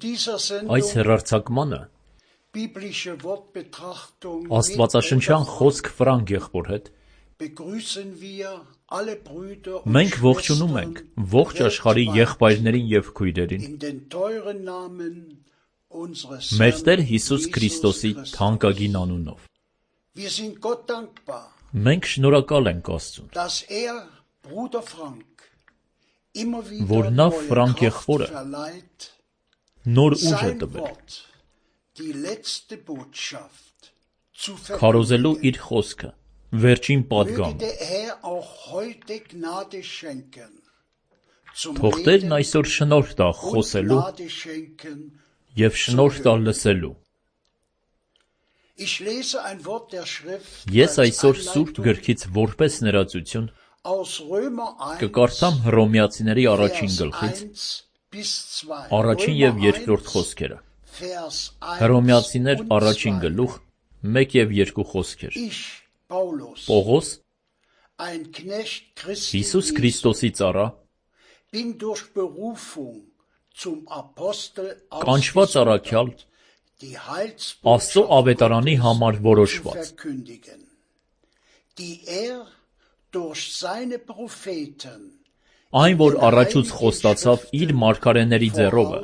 Այս հեռարձակմանը աստվածաշնչյան խոսք Ֆրանկ եղբոր հետ մենք ողջունում ենք ողջ աշխարհի եղբայրներին և քույրերին մեր Տեր Հիսուս Քրիստոսի թանկագին անունով։ Մենք շնորհակալ ենք Աստծուն, որ նա Ֆրանկ եղբորը նոր ուժ է տվել քարոզելու իր խոսքը վերջին պատգամը։ Թող Տերն այսօր շնորհ տա խոսելու և շնորհ տա լսելու։ Ես այսօր Սուրբ Գրքից որպես ներածություն կկարդամ Հռոմեացիների առաջին գլխից առաջին և երկրորդ խոսքերը։ Հռոմեացիներ առաջին գլուխ 1 և 2 խոսքեր։ Պողոս, Հիսուս Քրիստոսի ծառա, կանչված առաքյալ, Աստծո ավետարանի համար որոշված, Այն, որ առաջուց խոստացավ իր մարգարեների ձեռովը,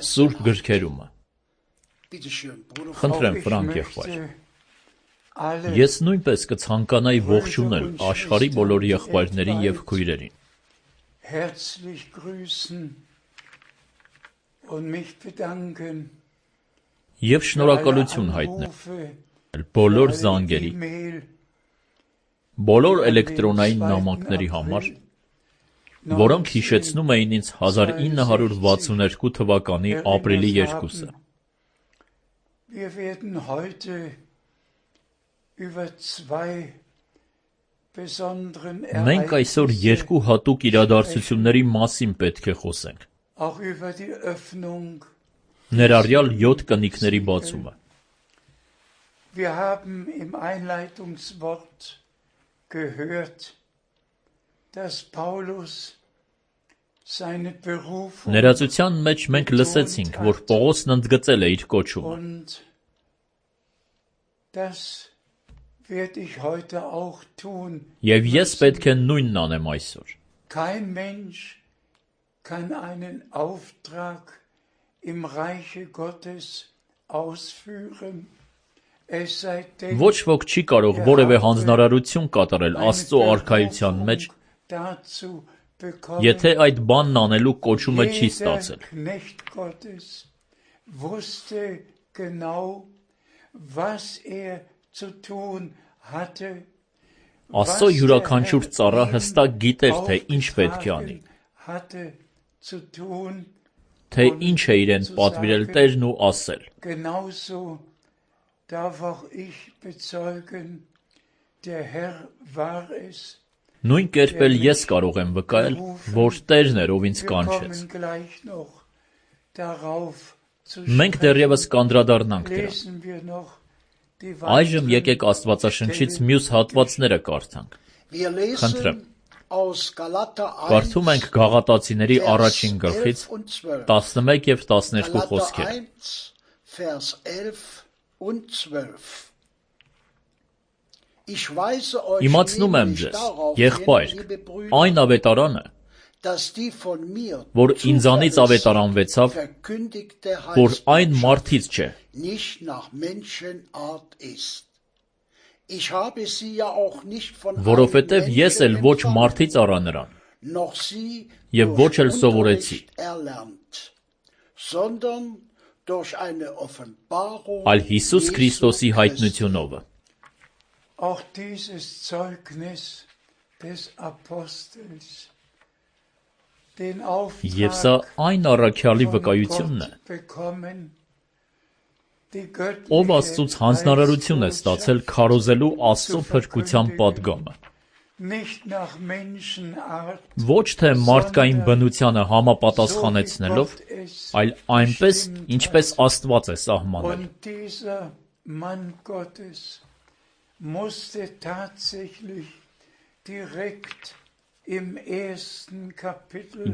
սուրբ գրքերումը։ Խնդրեմ, Ֆրանկ եղբայր, ես նույնպես կցանկանայի ողջունել աշխարհի բոլոր եղբայրներին եւ քույրերին։ Եվ շնորհակալություն հայտնել բոլոր զանգերի, բոլոր էլեկտրոնային նամակների համար, որոնք հիշեցնում էին ինձ 1962 թվականի ապրիլի 2-ը։ Մենք այսօր երկու հատուկ իրադարձությունների մասին պետք է խոսենք, ներառյալ 7 կնիկների բացումը։ Ներածության մեջ մենք լսեցինք, որ Պողոսն ընդգծել է իր կոչումը։ Եվ ես պետք է նույնն անեմ այսօր։ Ոչ ոք չի կարող որևէ հանձնարարություն կատարել Աստծո արքայության մեջ, եթե այդ բանն անելու կոչումը չի ստացել։ Աստծո յուրաքանչյուր ծառա հստակ գիտեր, թե ինչ պետք է անի, թե ինչ է իրեն պատվիրել Տերն ու ասել։ Նույն կերպ էլ ես կարող եմ վկայել, որ Տերն էր, ով ինձ կանչեց։ Մենք դեռևս կանդրադառնանք դրան։ Այժմ եկեք Աստվածաշնչից մյուս հատվածները կարդանք։ Խնդրեմ։ Կարդում ենք Գաղատացիների առաջին գլխից 11 և 12 խոսքեր։ Իմացնում եմ ձեզ, եղբայրք, այն ավետարանը, որ ինձանից ավետարանվեցավ, որ այն մարդից չէ։ Որովհետև ես էլ ոչ մարդից առա նրան, և ոչ էլ սովորեցի, այլ Հիսուս Քրիստոսի հայտնությունովը։ Եվ սա այն առաքյալի վկայությունն է, ով Աստծուց հանձնարարություն է ստացել քարոզելու Աստծո փրկության պատգամը։ Ոչ թե մարդկային բնությանը համապատասխանեցնելով, այլ այնպես, ինչպես Աստված է սահմանել։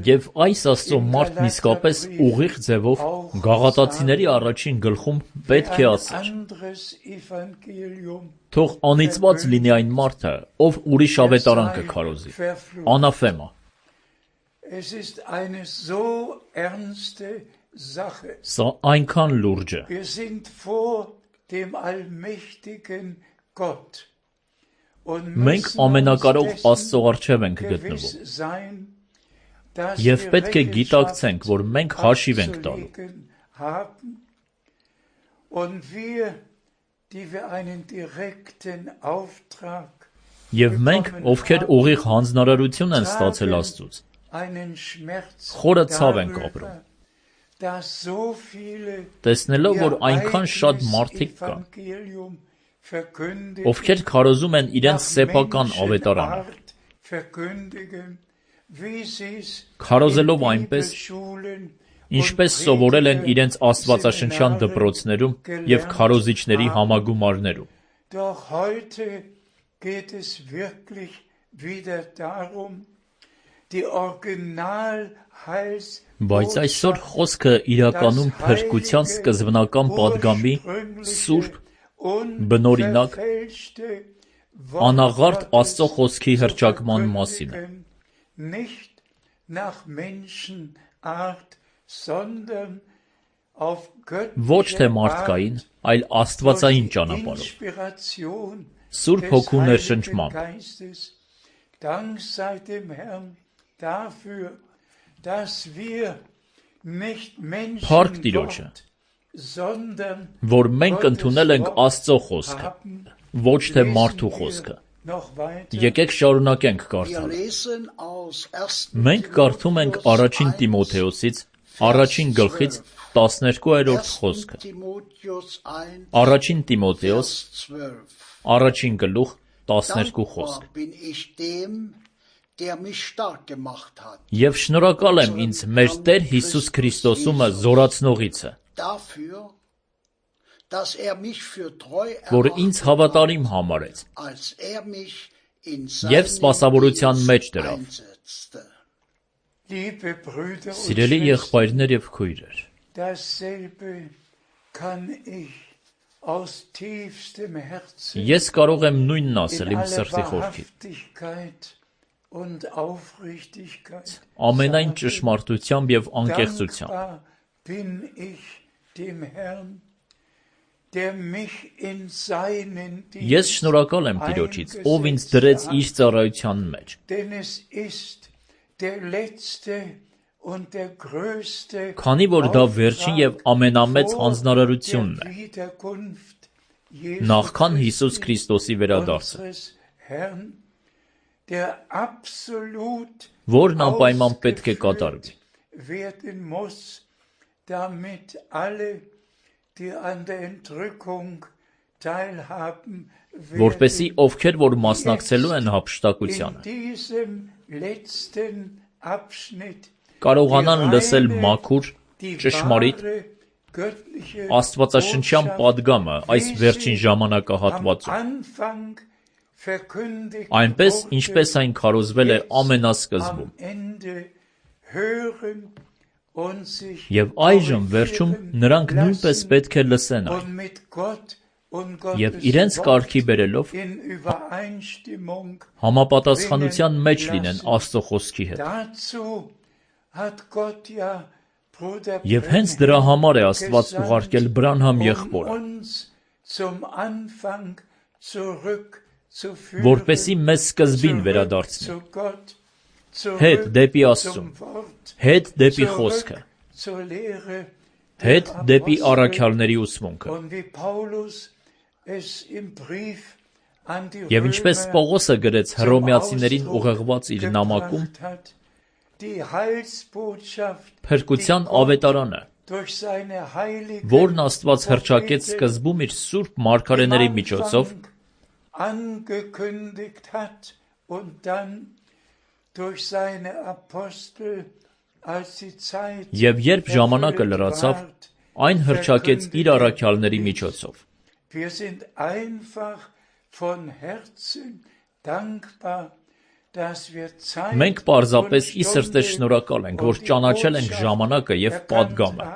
Եվ այս Աստծո մարդն իսկապես ուղիղ ձևով Գաղատացիների առաջին գլխում պետք է ասեր. թող անիծված լինի այն մարդը, ով ուրիշ ավետարան կքարոզի, անաֆեմա։ Սա այնքան լուրջ է։ Մենք ամենակարող Աստծո առջև ենք գտնվում, և պետք է գիտակցենք, որ մենք հաշիվ ենք տալու։ Եվ մենք, ովքեր ուղիղ հանձնարարություն են ստացել Աստծուց, խորը ցավ ենք ապրում, տեսնելով, որ այնքան շատ մարդիկ կան, ովքեր քարոզում են իրենց սեփական ավետարանը, քարոզելով այնպես, ինչպես սովորել են իրենց աստվածաշնչյան դպրոցներում և քարոզիչների համագումարներում։ Բայց այսօր խոսքը իրականում փրկության սկզբնական պատգամի սուրբ, բնօրինակ անաղարտ Աստծո խոսքի հռչակման մասին է։ Ոչ թե մարդկային, այլ աստվածային ճանապարհով, Սուրբ Հոգու ներշնչմամբ։ Փառք Տիրոջը, որ մենք ընդունել ենք Աստծո խոսքը, ոչ թե մարդու խոսքը։ Եկեք շարունակենք կարդալը։ Մենք կարդում ենք առաջին Տիմոթեոսից, առաջին գլխից 12-րդ խոսքը։ Առաջին Տիմոթեոս, առաջին գլուխ, 12 խոսք։ Եվ շնորհակալ եմ ինձ մեր Տեր Հիսուս Քրիստոսումը զորացնողիցը, որ ինձ հավատարիմ համարեց և սպասավորության մեջ դրավ։ Սիրելի եղբայրներ և քույրեր, ես կարող եմ նույնն ասել իմ սրտի խորքից, ամենայն ճշմարտությամբ և անկեղծությամբ։ Ես շնորհակալ եմ Տիրոջից, ով ինձ դրեց իր ծառայության մեջ։ Քանի որ դա վերջին և ամենամեծ հանձնարարությունն է, նախքան Հիսուս Քրիստոսի վերադարձը, որն անպայման պետք է կատարվի։ Որպեսզի ովքեր որ մասնակցելու են հափշտակությանը, կարողանան լսել մաքուր, ճշմարիտ, աստվածաշնչյան պատգամը այս վերջին ժամանակահատվածում, այնպես, ինչպես այն քարոզվել է ամենասկզբում։ Եվ այժմ վերջում նրանք նույնպես պետք է լսեն այն, և իրենց կարգի բերելով համապատասխանության մեջ լինեն Աստծո խոսքի հետ։ Եվ հենց դրա համար է Աստված ուղարկել Բրանհամ եղբորը, որպեսզի մեզ սկզբին վերադարձնի, հետ դեպի Աստծուն, հետ դեպի խոսքը, հետ դեպի առաքյալների ուսմունքը։ Եվ ինչպես Պողոսը գրեց Հռոմեացիներին ուղեղված իր նամակում, փրկության ավետարանը, որն Աստված հռչակեց սկզբում իր սուրբ մարգարեների միջոցով, և երբ ժամանակը լրացավ, այն հռչակեց իր առաքյալների միջոցով։ Մենք պարզապես ի սրտե շնորհակալ ենք, որ ճանաչել ենք ժամանակը և պատգամը,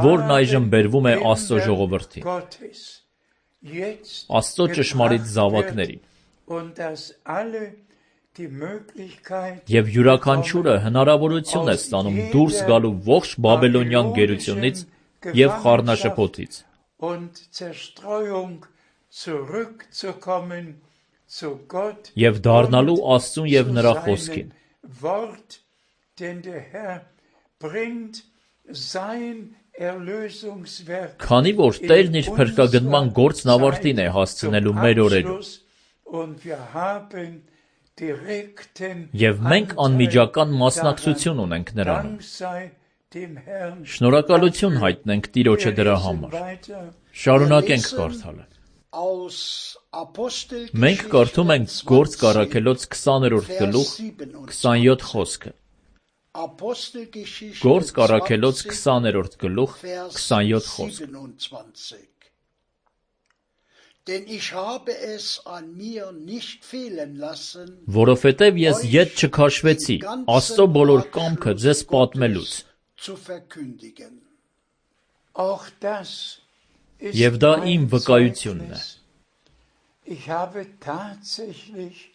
որն այժմ բերվում է Աստծո ժողովրդին, Աստծո ճշմարիտ զավակներին, և յուրաքանչյուրը հնարավորություն է ստանում դուրս գալու ողջ բաբելոնյան գերությունից և խառնաշփոթից, և դառնալու Աստծուն և նրա խոսքին, քանի որ Տերն իր փրկագնման գործն ավարտին է հասցնելու մեր օրերում, և մենք անմիջական մասնակցություն ունենք նրանում։ Շնորհակալություն հայտնենք Տիրոջը դրա համար։ Շարունակենք կարդալը։ Մենք կարդում ենք Գործք առաքելոց 20-րդ գլուխ, 27 խոսքը։ Գործք առաքելոց 20-րդ գլուխ, 27 խոսք։ Որովհետև ես ետ չքաշվեցի Աստծո բոլոր կամքը ձեզ պատմելուց։ Եվ դա իմ վկայությունն է։ Ich habe tatsächlich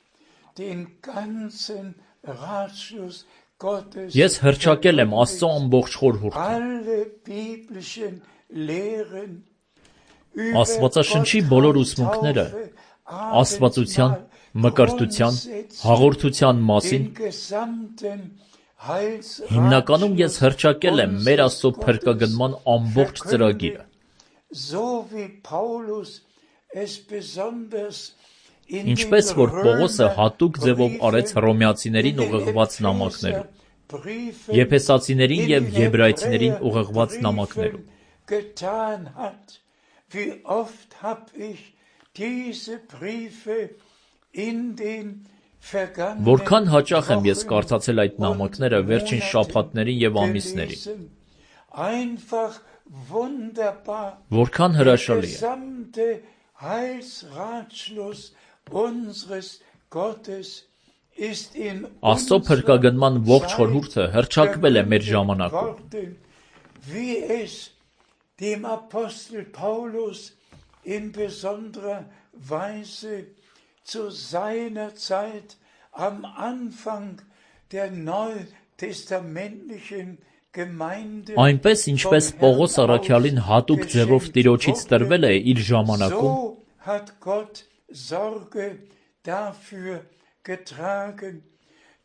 den ganzen Ratschluss Gottes Ես հռչակել եմ Աստծո ամբողջ խորհուրդը։ alle biblischen Lehren Աստվածաշնչի բոլոր ուսմունքները աստվածության, մկրտության, հաղորդության մասին հիմնականում ես հռչակել եմ մեր Աստծո փրկագնման ամբողջ ծրագիրը։ Ինչպես որ Պողոսը հատուկ ձևով արեց հռոմեացիներին ուղղված նամակներում, եփեսացիներին եւ եբրայեցիներին ուղղված նամակներում։ Wie oft hab ich diese Briefe in den vergangenen Որքան հաճախ եմ ես կարդացել այդ նամակները վերջին շաբաթներին եւ ամիսներին։ einfach wunderbar Որքան հրաշալի է։ gesamte Heilsratschluss unseres Gottes ist in Աստծո փրկագնման ողջ խորհուրդը հռչակվել է մեր ժամանակում։ Wie es dem Apostel Paulus in besonderer Weise zu seiner Zeit am Anfang der neutestamentlichen Gemeinde Այնպես ինչպես Պողոս առաքյալին հատուկ ձևով Տիրոջից տրվել է իր ժամանակում, so hat Gott Sorge dafür getragen,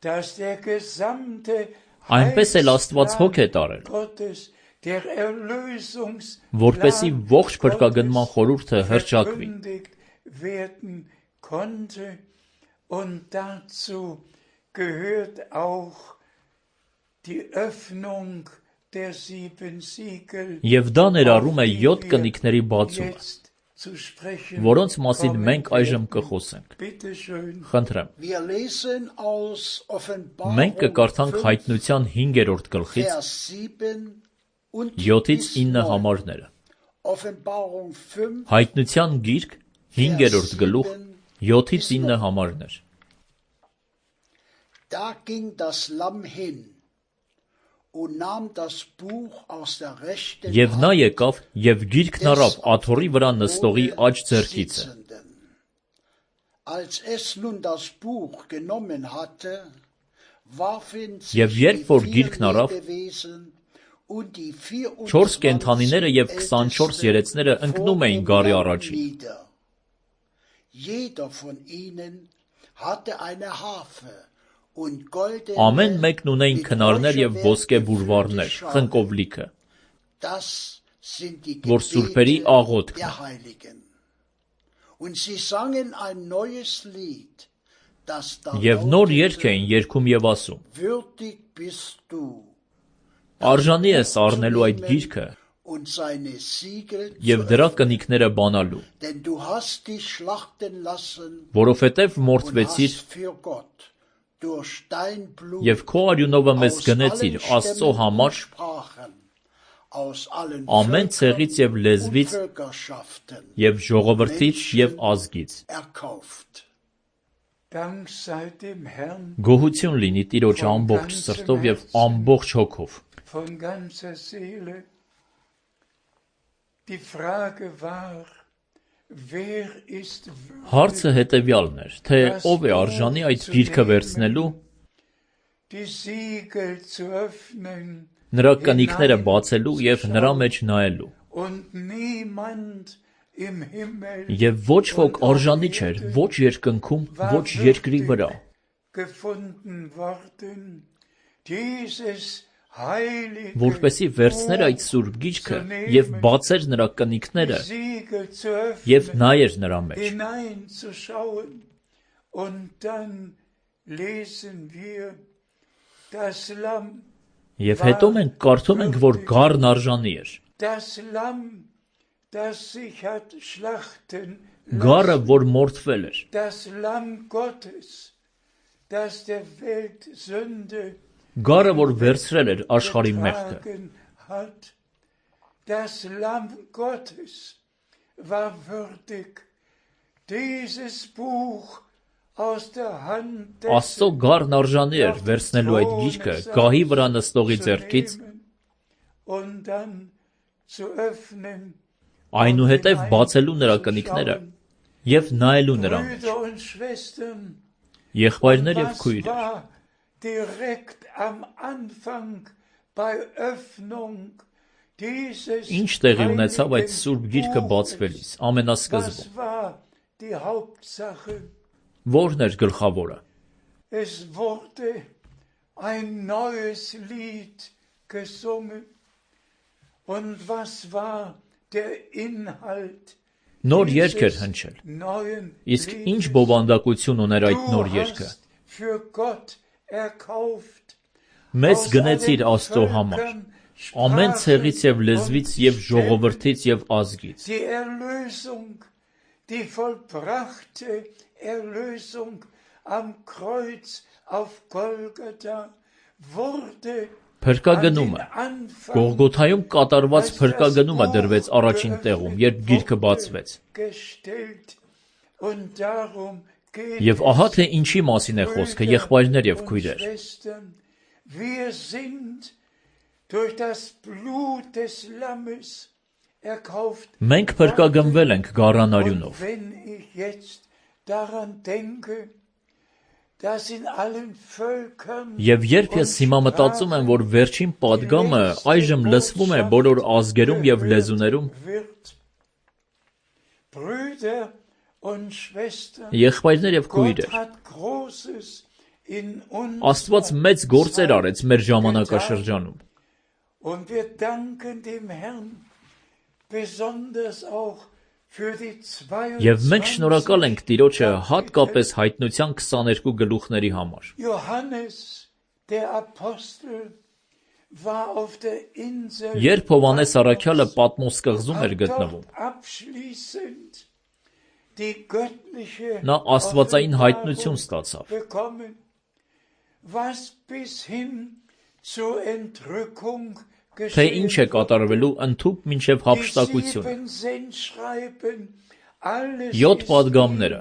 dass der gesamte այնպես էլ Աստված հոգ է տարել, Gottes der որպեսզի ողջ փրկագնման խորհուրդը հռչակվի։ werden konnte und dazu gehört auch die Öffnung der 7 Siegel Եվ դա ներառում է 7 կնիկների բացումը, zu sprechen. որոնց մասին մենք այժմ կխոսենք։ Bitte schön. Խնդրեմ։ Wir lesen aus Մենք Offenbarung կկարդանք 5, Հայտնության 5-րդ գլխից Vers 7 und 7-ից bis 9 9. համարները։ Offenbarung 5, Հայտնության գիրք 5-րդ գլուխ 7-ից 9 համարներ։ Da ging das Lamm hin und nahm das Buch aus der rechten Եվ նա Hand եկավ եւ գիրքն առավ աթոռի վրա նստողի աջ ձեռքիցը։ Sitzenden. Als es nun das Buch genommen hatte, warfen Եվ sich երբ die որ 4 գիրքն առավ, Lebewesen und die 4 կենդանիները եւ 24 երեցները ընկնում էին գարի առաջին։ nieder. Jeder von ihnen hatte eine Harfe und goldene Ամեն մեկն ունեին քնարներ եւ ոսկե բուրվարներ, խնկով լիքը, Das sind die որ սուրբերի Gebete աղոթքն է։ der Heiligen. Und sie sangen ein neues Lied, das da Եվ նոր երգ lautete, էին երգում եւ ասում. Würdig bist du, Արժանի ես առնելու այդ գիրքը und seine Siegel եւ zu դրա öffnen, կնիկները բանալու, denn du hast dich schlachten lassen որովհետեւ und մորթվեցիր hast für Gott durch dein Blut եւ քո արյունովը մեզ aus գնեցիր allen Աստծո Stämmen und համար Sprachen, aus allen ամեն ցեղից եւ Völkern լեզվից und Völkerschaften եւ ժողովրդից եւ ազգից։ erkauft. Dank sei dem Herrn Գոհություն լինի Տիրոջ ամբողջ սրտով եւ ամբողջ հոգով։ von ganzer Seele. Die Frage war, wer ist Հարցը հետեւյալն էր, թե ով է արժանի այդ գիրքը վերցնելու, die Siegel zu öffnen նրա կնիկները բացելու եւ նրա մեջ նայելու։ und niemand im Himmel Եվ ոչ ոք արժանի չէր, ոչ երկնքում, ոչ երկրի վրա, gefunden worden, dieses heilige որպեսի վերցներ այդ սուրբ գիրքը եւ բացեր նրա կնիկները Siegel zu եւ öffnen, նայեր նրա մեջ։ hineinzuschauen. Und dann lesen wir, das Lamm, Եվ հետո մենք կարդում ենք, որ գառն արժանի էր։ das Lamm, das sich hat schlachten Գառը, որ մորթվել էր, das Lamm Gottes, das der Welt Sünde գառը, որ վերցրել էր աշխարհի մեղքը։ getragen hat. Das Lamm Gottes war würdig, dieses Buch aus der Hand des Աստծո գառն արժանի էր վերցնելու այդ գիրքը գահի վրա նստողի ձեռքից und dann zu öffnen այնուհետև բացելու նրա կնիկները և նայելու նրան մեջ։ Եղբայրներ և քույրեր, ինչ տեղի ունեցավ այդ Սուրբ Գիրքը բացվելիս, ամենասկզբում։ Ո՞րն էր գլխավորը։ Նոր երգ էր հնչել։ Իսկ ինչ բովանդակություն ուներ այդ նոր երգը։ Մեզ գնեցիր Աստծո համար, ամեն ցեղից և լեզվից և ժողովրդից և ազգից։ Փրկագնումը, Գողգոթայում կատարված փրկագնումը դրվեց առաջին տեղում, երբ գիրքը բացվեց։ Եվ ահա թե ինչի մասին է խոսքը, եղբայրներ և քույրեր։ Մենք փրկագնվել ենք գառան արյունով։ Եվ երբ ես հիմա մտածում եմ, որ վերջին պատգամը այժմ լսվում է բոլոր ազգերում և լեզուներում, եղբայրներ և քույրեր, Աստված մեծ գործեր արեց մեր ժամանակաշրջանում։ Եվ մենք շնորհակալ ենք Տիրոջը հատկապես Հայտնության 22 գլուխների համար։ Երբ Հովհաննես առաքյալը Պատմոս կղզում էր գտնվում, նա աստվածային հայտնություն ստացավ։ Թե ինչ է կատարվելու ընդհուպ մինչև հափշտակությունը։ 7 պատգամները։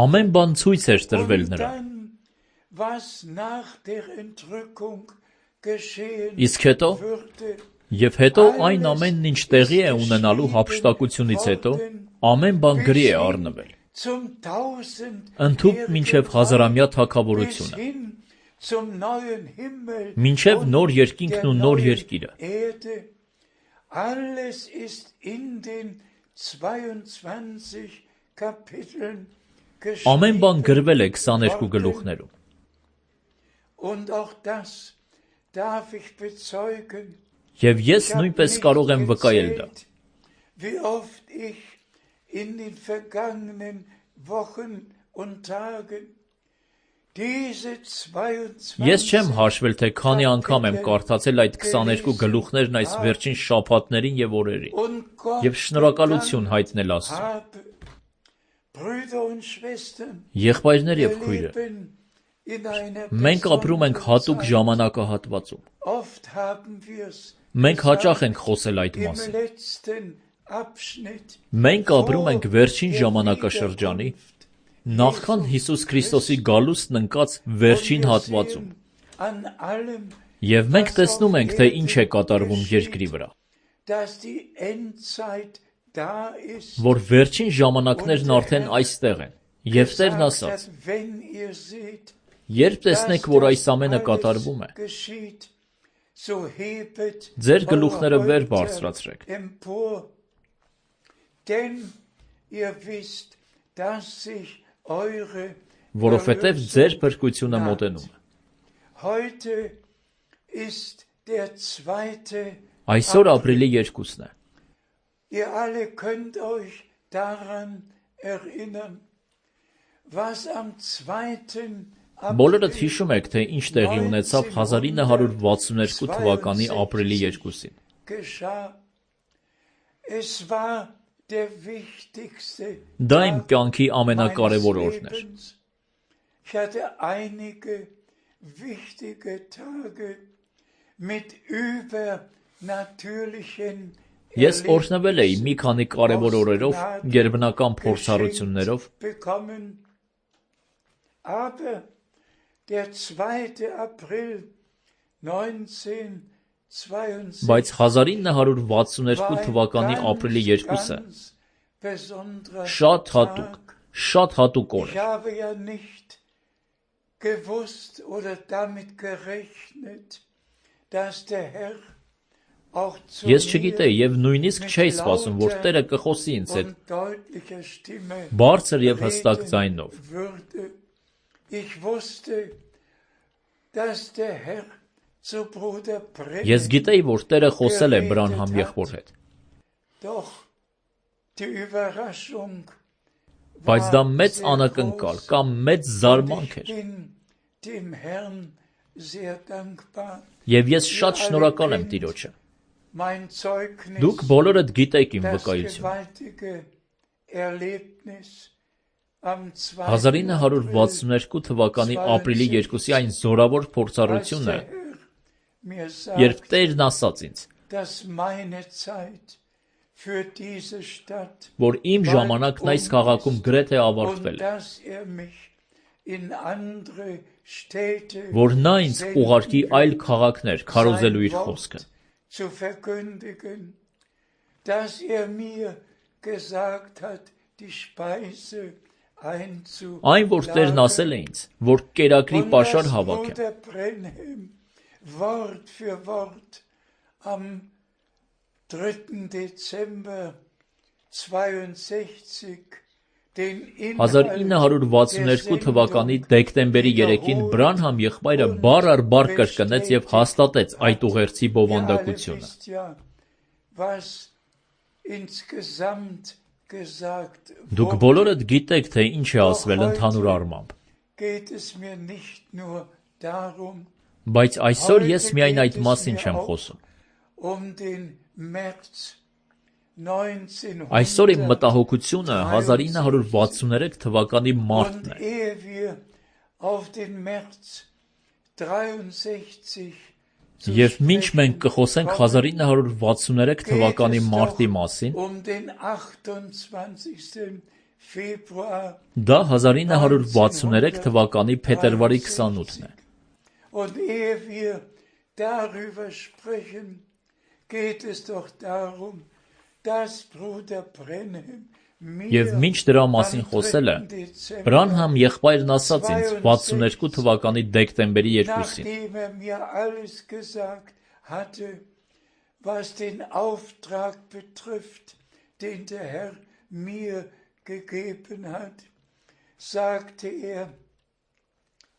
Ամեն բան ցույց էր տրվել նրան։ Իսկ հետո, և հետո այն ամենն, ինչ տեղի է ունենալու հափշտակությունից հետո, ամեն բան գրի է առնվել։ Ընդհուպ մինչև հազարամյա թագավորությունը։ Մինչև նոր երկինքն ու նոր երկիրը։ Ամեն բան գրվել է 22 գլուխներում։ Եվ ես նույնպես կարող եմ վկայել դա։ Ես չեմ հաշվել, թե քանի անգամ եմ կարդացել այդ 22 գլուխներն այս վերջին շաբաթներին և օրերին, և շնորհակալություն հայտնել Աստծուն։ Եղբայրներ և քույրեր, մենք ապրում ենք հատուկ ժամանակահատվածում։ Մենք հաճախ ենք խոսել այդ մասին։ Մենք ապրում ենք վերջին ժամանակաշրջանի, նախքան Հիսուս Քրիստոսի գալուստն ընկած վերջին հատվածում։ Եվ մենք տեսնում ենք, թե ինչ է կատարվում երկրի վրա։ Որ վերջին ժամանակներն արդեն այստեղ են։ Եվ Տերն ասաց. երբ տեսնեք, որ այս ամենը կատարվում է, ձեր գլուխները վեր բարձրացրեք։ Որովհետև ձեր փրկությունը մոտենում է։ Այսօր ապրիլի 2-ն է։ Բոլորդ հիշում եք, թե ինչ տեղի ունեցավ 1962 թվականի ապրիլի 2-ին։ Դա իմ կյանքի ամենակարևոր օրն էր։ Ես օրհնվել էի մի քանի կարևոր օրերով, գերբնական փորձառություններով, Բայց 1962 թվականի ապրիլի 2-ը շատ հատուկ օր Ich habe ja nicht gewusst oder damit gerechnet, dass der Herr auch zu Ես mir չգիտեի եւ նույնիսկ չէի սպասում, որ Տերը կխոսի ինձ հետ und deutlicher Stimme բարձր եւ հստակ reden ձայնով։ würde. Ich wusste, dass der Herr zu Bruder Ես Brennan գիտեի, որ Տերը խոսել է Բրանհամ եղբոր հետ, doch die Überraschung բայց դա war մեծ sehr անակնկալ groß. կամ մեծ զարմանք Ich էր։ bin dem Herrn sehr dankbar. Եվ ես շատ շնորհակալ եմ Տիրոջը։ Mein Zeugnis, Դուք բոլորդ գիտեք իմ das վկայությունը։ gewaltige Erlebnis am 2. 1962 թվականի ապրիլի 2-ի այն զորավոր als փորձառությունը, der Herr mir երբ sagt, Տերն ասաց ինձ, dass meine Zeit für diese Stadt որ իմ ժամանակն այս քաղաքում գրեթե ավարտվել und է, dass mich in andere Städte որ նա ինձ senden ուղարկի այլ wird, քաղաքներ քարոզելու իր sein խոսքը։ Wort zu verkündigen, dass mir gesagt hat, die Speise Այն, որ Տերն ասել է ինձ, որ կերակրի պաշար հավաքեմ, Bruder Brenhem Wort für Wort am 3. Dezember 62 den Inhalt 1962 թվականի դեկտեմբերի 3-ին Բրանհամ եղբայրը բառ առ բառ կրկնեց եւ հաստատեց այդ ուղերձի բովանդակությունը։ Դուք բոլորդ գիտեք, թե ինչ է ասվել ընդհանուր առմամբ։ Բայց այսօր ես միայն այդ մասին չեմ խոսում։ Այսօր իմ մտահոգությունը 1963 թվականի մարտն է։ Եվ մինչ մենք կխոսենք 1963 թվականի մարտի մասին, դա 1963 թվականի փետրվարի 28-ն է։ Und ehe wir darüber sprechen, geht es doch darum, dass Bruder Brenhem Եվ մինչ դրա մասին խոսելը, Բրանհամ եղբայրն ասաց ինձ 62 թվականի դեկտեմբերի 2-ին։ mir alles gesagt hatte, was den Auftrag betrifft, den der Herr mir gegeben hat, sagte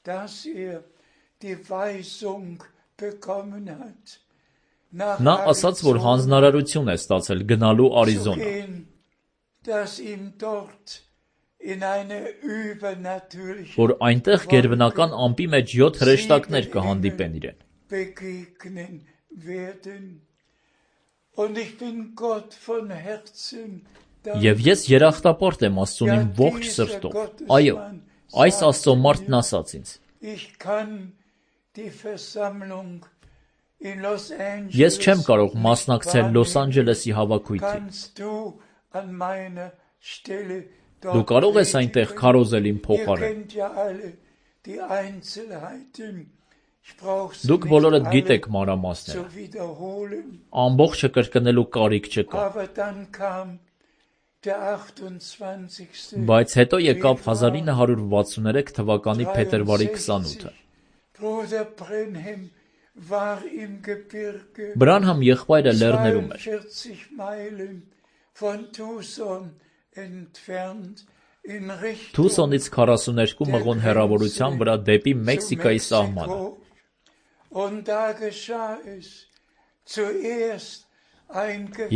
dass die Weisung bekommen hat. Նա ասաց, որ հանձնարարություն է ստացել գնալու Արիզոնա։ Dass ihm dort in eine übernatürliche որ այնտեղ գերբնական ամպի մեջ 7 հրեշտակներ կհանդիպեն իրեն։ begegnen werden. Und ich bin Gott von Herzen Եվ ես երախտապարտ եմ Աստծուն իմ ողջ սրտով։ Այո, այս Աստծո մարդն ասաց ինձ։ Ես չեմ կարող մասնակցել Լոս Անջելեսի հավաքույթին։ Դու կարող ես այնտեղ քարոզել իմ փոխարեն։ Դուք բոլորդ գիտեք մանրամասները։ Ամբողջը կրկնելու կարիք չկա։ Բայց հետո եկավ 1963 թվականի փետրվարի 28-ը։ Բրանհամ եղբայրը լեռներում էր։ Թուսոնից 42 մղոն հեռավորության վրա դեպի Մեքսիկայի սահմանը։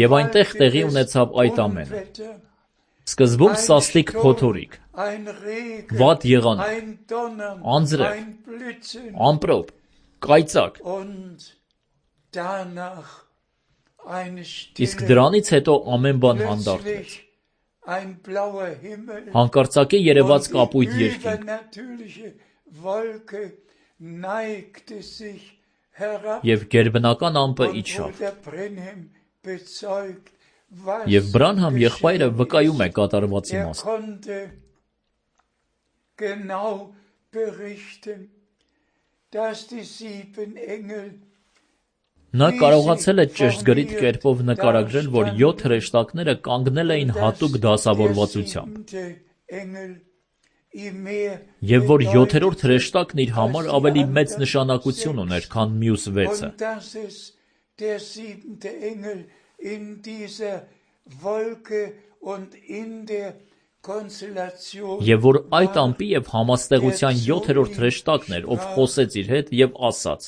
Եվ այնտեղ տեղի ունեցավ այդ ամենը։ Սկզբում սաստիկ փոթորիկ, վատ եղանակ, անձրև, ամպրոպ, կայծակ։ Իսկ դրանից հետո ամեն բան հանդարտվեց։ Հանկարծակի երևաց կապույտ երկինք։ Եվ գերբնական ամպը իջավ։ Եվ Բրանհամ եղբայրը վկայում է կատարվածի մասին։ Նա կարողացել է ճշգրիտ կերպով նկարագրել, որ 7 հրեշտակները կանգնել էին հատուկ դասավորվածությամբ, և որ 7-րդ հրեշտակն իր համար ավելի մեծ նշանակություն ուներ, քան մյուս 6-ը։ Եվ որ այդ ամպի և համաստեղության 7-րդ հրեշտակն էր, ով խոսեց իր հետ և ասաց.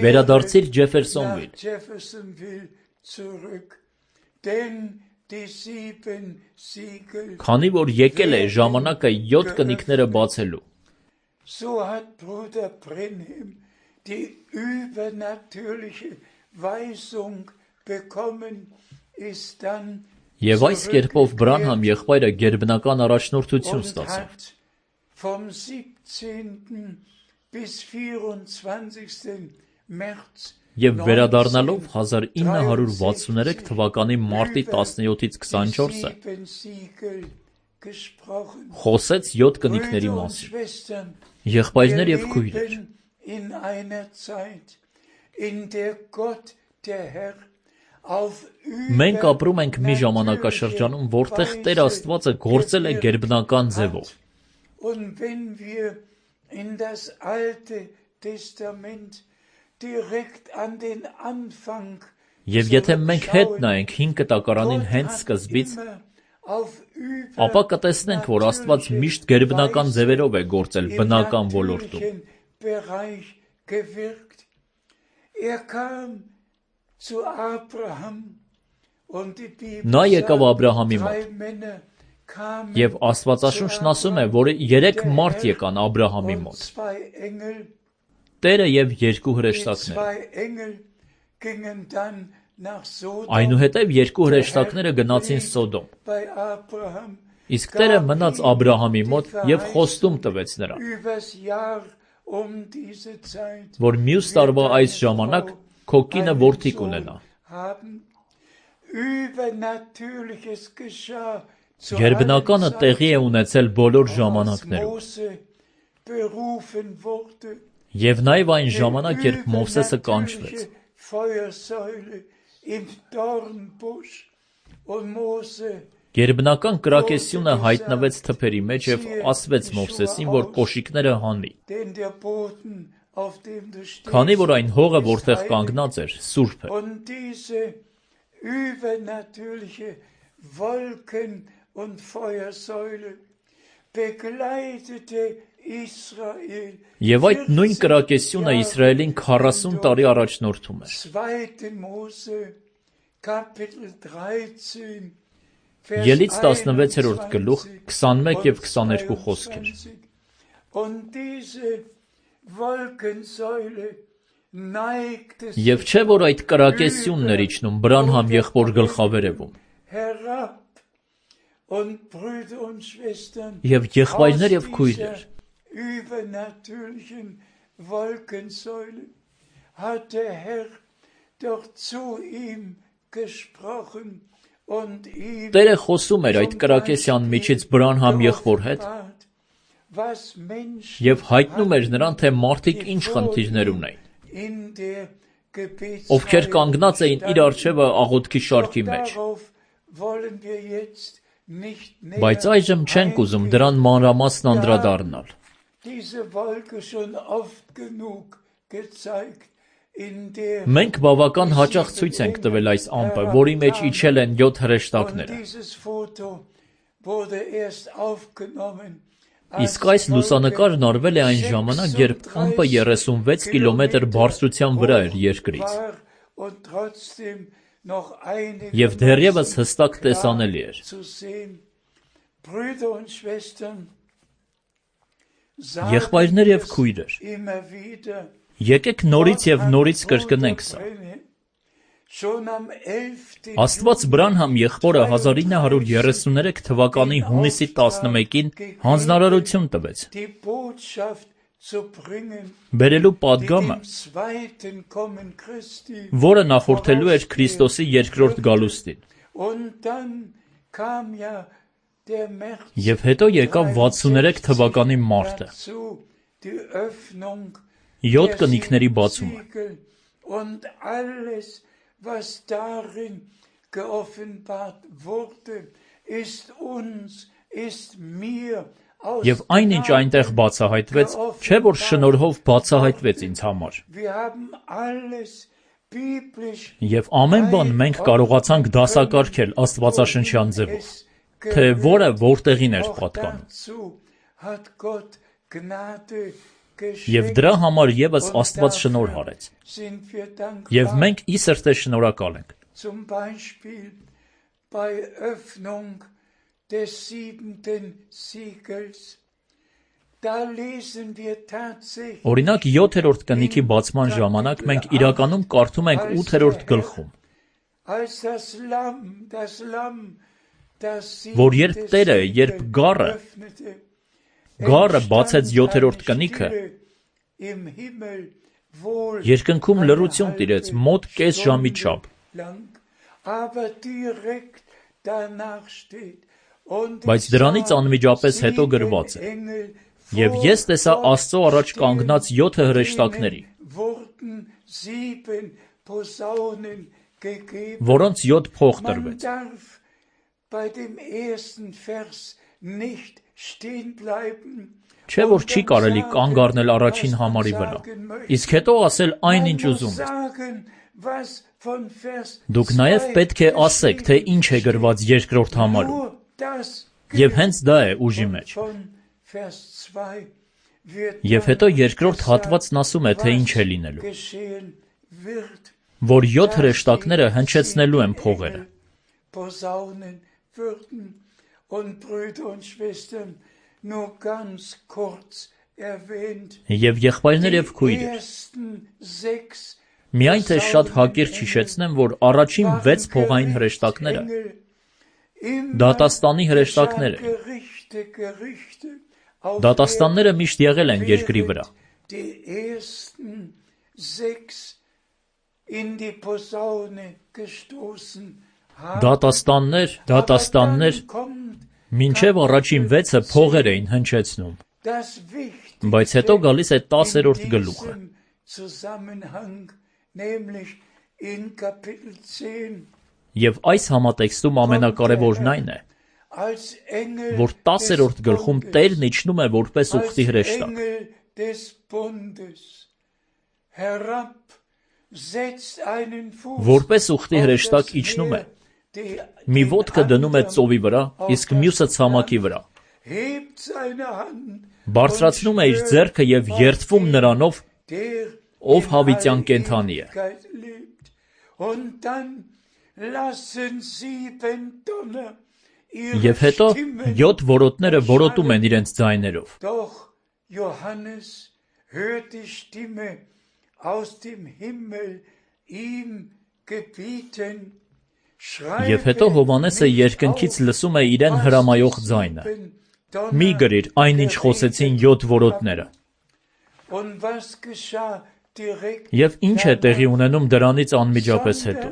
Վերադարձիր Ջեֆերսոնվիլ, քանի որ եկել է ժամանակը 7 կնիկները բացելու։ So hat Bruder Brenhem die übernatürliche Weisung bekommen, ist dann Եվ այս կերպով Բրանհամ եղբայրը գերբնական առաջնորդություն ստացավ։ Vom 17. bis 24. März Եվ վերադառնալով 1963 թվականի մարտի 17-ից 24-ը խոսեց 7 կնիկների մասին։ Եղբայրներ և քույրեր, մենք ապրում ենք մի ժամանակաշրջանում, որտեղ Տեր Աստվածը գործել է գերբնական ձևով։ Եվ եթե մենք հետ նայենք Հին Կտակարանին հենց սկզբից, ապա կտեսնենք, որ Աստված միշտ գերբնական ձևերով է գործել բնական ոլորտում։ Նա եկավ Աբրահամի մոտ, և Աստվածաշունչն ասում է, որ 3 մարդ եկան Աբրահամի մոտ, Տերը և 2 հրեշտակները։ Այնուհետև 2 հրեշտակները գնացին Սոդոմ, իսկ Տերը մնաց Աբրահամի մոտ և խոստում տվեց նրան, որ մյուս տարվա այս ժամանակ քո կինը որդի կունենա։ Գերբնականը տեղի է ունեցել բոլոր ժամանակներում։ Եվ նաև այն ժամանակ, երբ Մովսեսը կանչվեց։ Գերբնական կրակեսյունը հայտնվեց թփերի մեջ և ասվեց Մովսեսին, որ կոշիկները հանի, քանի որ այն հողը, որտեղ կանգնած էր, սուրբ է։ Եվ այդ նույն կրակեսյունը Իսրայելին 40 տարի առաջնորդում էր։ Ելից 16-րդ գլուխ 21 և 22 խոսքեր։ Եվ չէ, որ այդ կրակեսյունն էր իջնում Բրանհամ եղբոր գլխավերևում։ Եվ եղբայրներ և քույրեր, Տերը խոսում էր այդ կրակեսյան միջից Բրանհամ եղբոր հետ և հայտնում էր նրան, թե մարդիկ ինչ խնդիրներ ունեին, ովքեր կանգնած էին իր առջևը աղոթքի շարքի մեջ։ Բայց այժմ չենք ուզում դրան մանրամասն անդրադառնալ։ Մենք բավական հաճախ ցույց ենք տվել այս ամպը, որի մեջ իջել են 7 հրեշտակները։ Իսկ այս լուսանկարն արվել է այն ժամանակ, երբ ամպը 36 կիլոմետր բարձրության վրա էր երկրից, և դեռևս հստակ տեսանելի էր։ Եղբայրներ և քույրեր, եկեք նորից և նորից կրկնենք սա։ Աստված Բրանհամ եղբորը 1933 թվականի հունիսի 11-ին հանձնարարություն տվեց բերելու պատգամը, որը նախորդելու էր Քրիստոսի երկրորդ գալուստին։ Եվ հետո եկավ 63 թվականի մարտը, 7 կնիքների բացումը։ Und alles, was darin geoffenbart wurde, ist uns, ist mir aus Եվ այնինչ այնտեղ բացահայտվեց, չէ՞ որ շնորհով բացահայտվեց ինձ համար։ Wir haben alles biblisch Եվ ամեն բան մենք կարողացանք դասակարգել Աստվածաշնչյան ձևով, թե որը որտեղին էր պատկանում։ dazu hat Gott Gnade Եվ դրա համար եւս Աստված շնորհ արեց։ sind wir dankbar. Եվ մենք ի սրտե շնորհակալ ենք։ Zum Beispiel bei Öffnung des 7. Siegels. Da lesen wir tatsächlich. Օրինակ 7-րդ կնիքի բացման ժամանակ մենք իրականում կարդում ենք 8-րդ գլխում, Als das Lamm, das որ երբ Տերը, երբ գառը öffnete, բացեց 7-րդ կնիքը, im Himmel wohl երկնքում լռություն տիրեց մոտ կես ժամի չափ, lang, aber direkt danach steht. Und բայց դրանից անմիջապես հետո գրված է. Եվ ես տեսա Աստծո առաջ կանգնած 7 հրեշտակների, որոնց 7 փող տրվեց։ Չէ՞ որ չի կարելի կանգ առնել առաջին համարի վրա, իսկ հետո ասել այնինչ ուզում եք։ Դուք նաև պետք է ասեք, թե ինչ է գրված երկրորդ համարում։ Եվ հենց դա է ուժի մեջ։ Եվ հետո երկրորդ հատվածն ասում է, թե ինչ է լինելու, որ 7 հրեշտակները հնչեցնելու են փողերը։ Եվ եղբայրներ եւ քույրեր, միայն թե շատ հակիրճ հիշեցնեմ, որ առաջին 6 փողային հրեշտակները դատաստանի հրեշտակներ են։ Դատաստանները միշտ եղել են երկրի վրա։ Դատաստաններ, մինչև առաջին 6-ը փողեր էին հնչեցնում, բայց հետո գալիս է 10-րդ գլուխը։ Եվ այս համատեքստում ամենակարևորն այն է, որ 10-րդ գլխում Տերն իջնում է որպես ուխտի հրեշտակ։ Որպես ուխտի հրեշտակ իջնում է, մի ոտքը դնում է ծովի վրա, իսկ մյուսը ցամաքի վրա։ Բարձրացնում է իր ձեռքը եւ երդվում նրանով, ով հավիտյան կենդանի է։ Եվ հետո 7 որոտները որոտում են իրենց ձայներով։ Եվ հետո Հովհաննեսը երկնքից լսում է իրեն հրամայող ձայնը. «Մի գրիր այնինչ խոսեցին 7 որոտները»։ Եվ ինչ է տեղի ունենում դրանից անմիջապես հետո։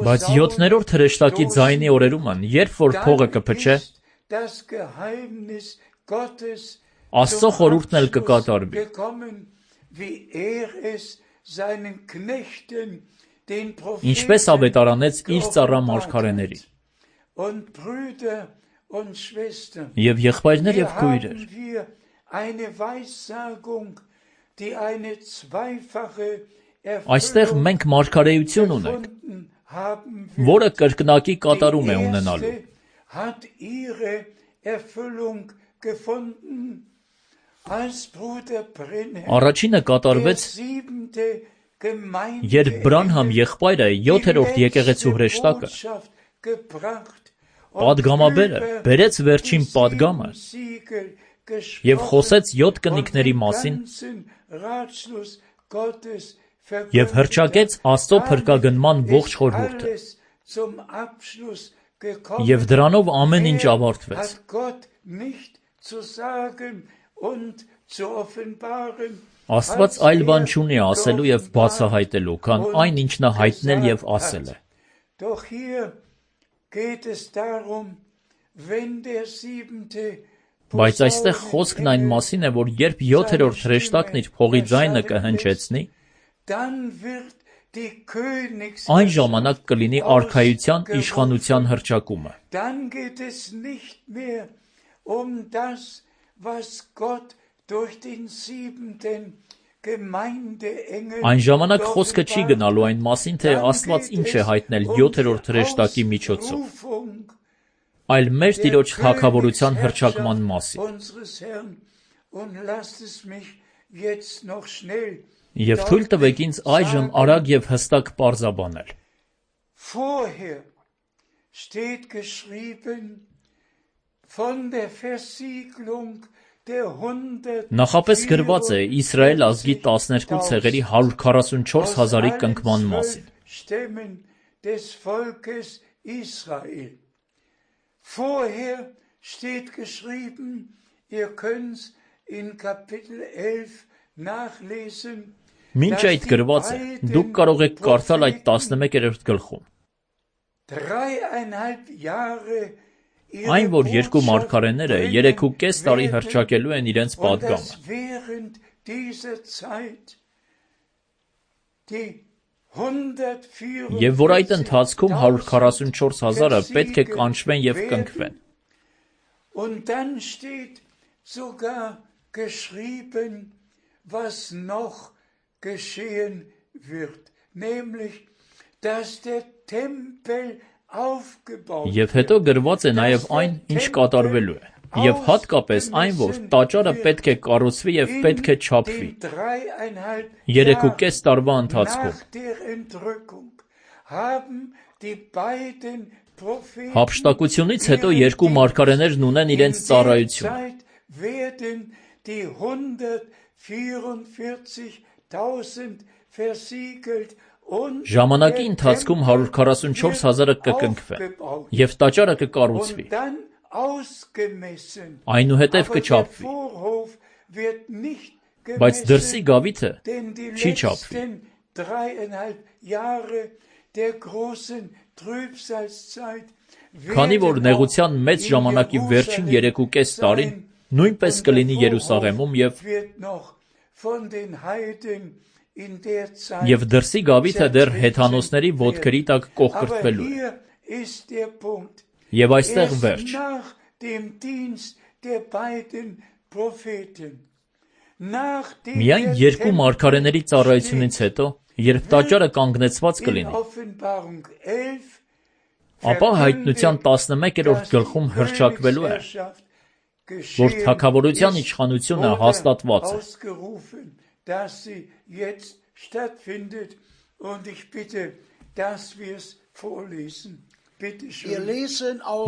Բայց 7-րդ հրեշտակի ձայնի օրերումն, երբ որ փողը կփչե, Աստծո խորհուրդն էլ կկատարվի։ Ինչպես ավետարանեց իր ծառա մարգարեներին։ Եվ եղբայրներ եւ քույրեր, այստեղ մենք մարգարեություն ունենք, որը կրկնակի կատարում է ունենալու։ Առաջինը կատարվեց, երբ Բրանհամ եղբայրը 7-րդ եկեղեցու հրեշտակը, պատգամաբերը բերեց վերջին պատգամը եւ խոսեց 7 կնիքների մասին եւ հռչակեց Աստծո փրկագնման ողջ խորհուրդը։ Եվ դրանով ամեն ինչ ավարտվեց։ Աստված այլ բան չունի ասելու եւ բացահայտելու, քան այն, ինչ նա հայտնել եւ ասել է։ Բայց այստեղ խոսքն այն մասին է, որ երբ 7-րդ հրեշտակն իր փողի ձայնը կհնչեցնի, այն ժամանակ կլինի արքայության իշխանության հռչակումը։ Այն ժամանակ խոսքը չի գնալու այն մասին, թե Աստված ինչ է հայտնել 7-րդ հրեշտակի միջոցով, այլ մեր Տիրոջ թագավորության հռչակման մասին։ Եվ թույլ տվեք ինձ այժմ արագ եւ հստակ պարզաբանել։ Նախապես գրված է Իսրայել ազգի 12 ցեղերի 144 հազարի կնքման մասին։ Vorher steht geschrieben, ihr könnt in Kapitel 11 nachlesen. Մինչ այդ գրված է, դուք կարող եք կարդալ այդ 11-րդ գլխում։ Այն, որ երկու մարգարեները 3.5 տարի հռչակելու են իրենց պատգամը։ Եվ որ այդ ընթացքում 144 հազարը պետք է կանչվեն և կնքվեն։ Եվ հետո գրված է նաև այն, ինչ կատարվելու է, և հատկապես այն, որ տաճարը պետք է կառուցվի և պետք է չափվի 3.5 տարվա ընթացքում։ Հափշտակությունից հետո երկու մարգարեներն ունեն իրենց ծառայությունը։ Ժամանակի ընթացքում 144 հազարը կկնքվեն, և տաճարը կկառուցվի, այնուհետև կչափվի, բայց դրսի գավիթը չի չափվի։ Քանի որ նեղության մեծ ժամանակի վերջին 3.5 տարին նույնպես կլինի Երուսաղեմում և դրսի գավիթը դեռ հեթանոսների ոտքերի տակ կոխկրտվելու է։ Եվ այստեղ վերջ։ Միայն երկու մարգարեների ծառայությունից հետո, երբ տաճարը կանգնեցված կլինի, ապա Հայտնության 11-րդ գլխում հռչակվելու է, որ թագավորության իշխանությունը հաստատված է։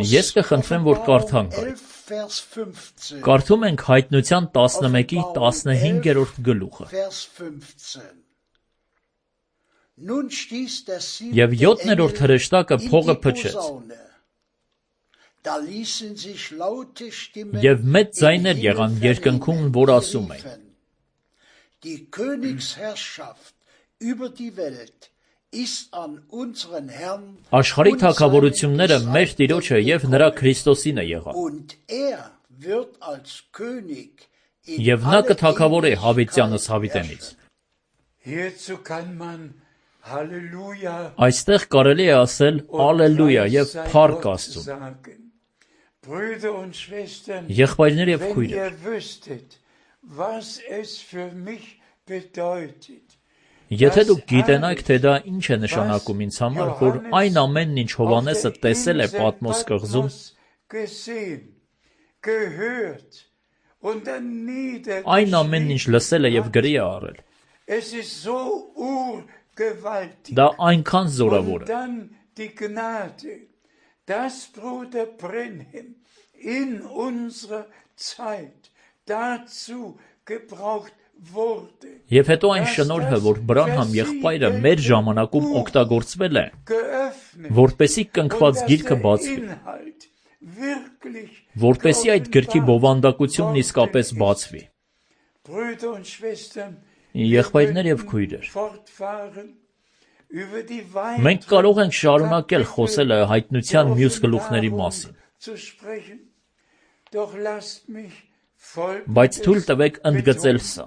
Ես կխնդրեմ, որ կարդանք այն։ Կարդում ենք Հայտնության 11-ի 15-րդ գլուխը։ Եվ 7-րդ հրեշտակը փողը փչեց, և մեծ ձայներ եղան երկնքում, որ ասում էին. Աշխարհի թագավորությունները մեր Տիրոջը և նրա Քրիստոսին է եղան, և նա կթագավորի հավիտյանս հավիտենից։ Այստեղ կարելի է ասել «Ալելույա» և «Փառք Աստծուն»։ Եղբայրներ և քույրեր, եթե դուք գիտենայք, թե դա ինչ է նշանակում ինձ համար, որ այն ամենն, ինչ Հովհաննեսը տեսել է Պատմոս կղզում, այն ամենն, ինչ լսել է և գրի է առել, դա այնքան զորավոր է, և հետո այն շնորհը, որ Բրանհամ եղբայրը մեր ժամանակում օգտագործվել է, որպեսզի կնքված գիրքը բացվի, որպեսզի այդ գրքի բովանդակությունն իսկապես բացվի։ Եղբայրներ և քույրեր, մենք կարող ենք շարունակել խոսել Հայտնության մյուս գլուխների մասին, zu sprechen. Doch lasst mich Բայց թույլ տվեք ընդգծել betonen. սա.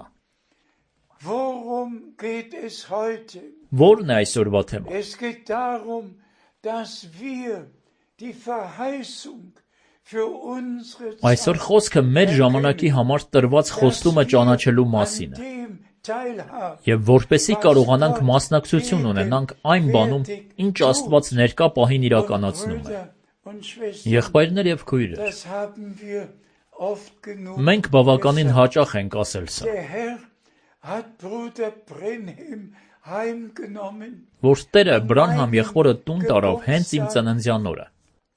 Worum geht es heute? Ո՞րն է այսօրվա թեման։ Es geht darum, dass wir die Verheißung für unsere Այսօր խոսքը մեր ժամանակի համար տրված խոստումը ճանաչելու մասին է։ Եվ որպեսզի կարողանանք մասնակցություն ունենանք այն բանում, ինչ Աստված ներկա պահին իրականացնում է։ Եղբայրներ եւ քույրեր, մենք բավականին հաճախ ենք ասել սա, որ Տերը Բրանհամ եղբորը տուն տարավ հենց իմ ծննդյան օրը։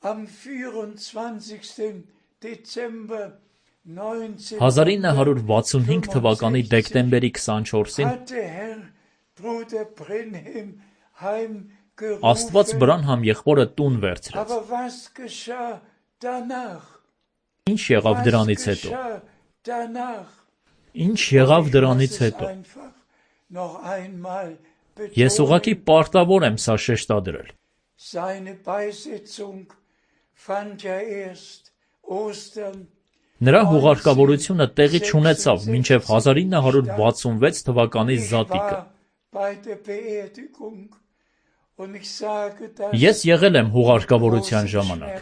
Am 24. Dezember 1965 թվականի դեկտեմբերի 24-ին Աստված Բրանհամ եղբորը տուն վերցրեց։ Ինչ եղավ դրանից հետո։ Ինչ եղավ դրանից հետո։ Ես ուղղակի պարտավոր եմ սա շեշտադրել։ Նրա հուղարկավորությունը տեղի չունեցավ մինչև 1966 թվականի Զատիկը։ Ես եղել եմ հուղարկավորության ժամանակ,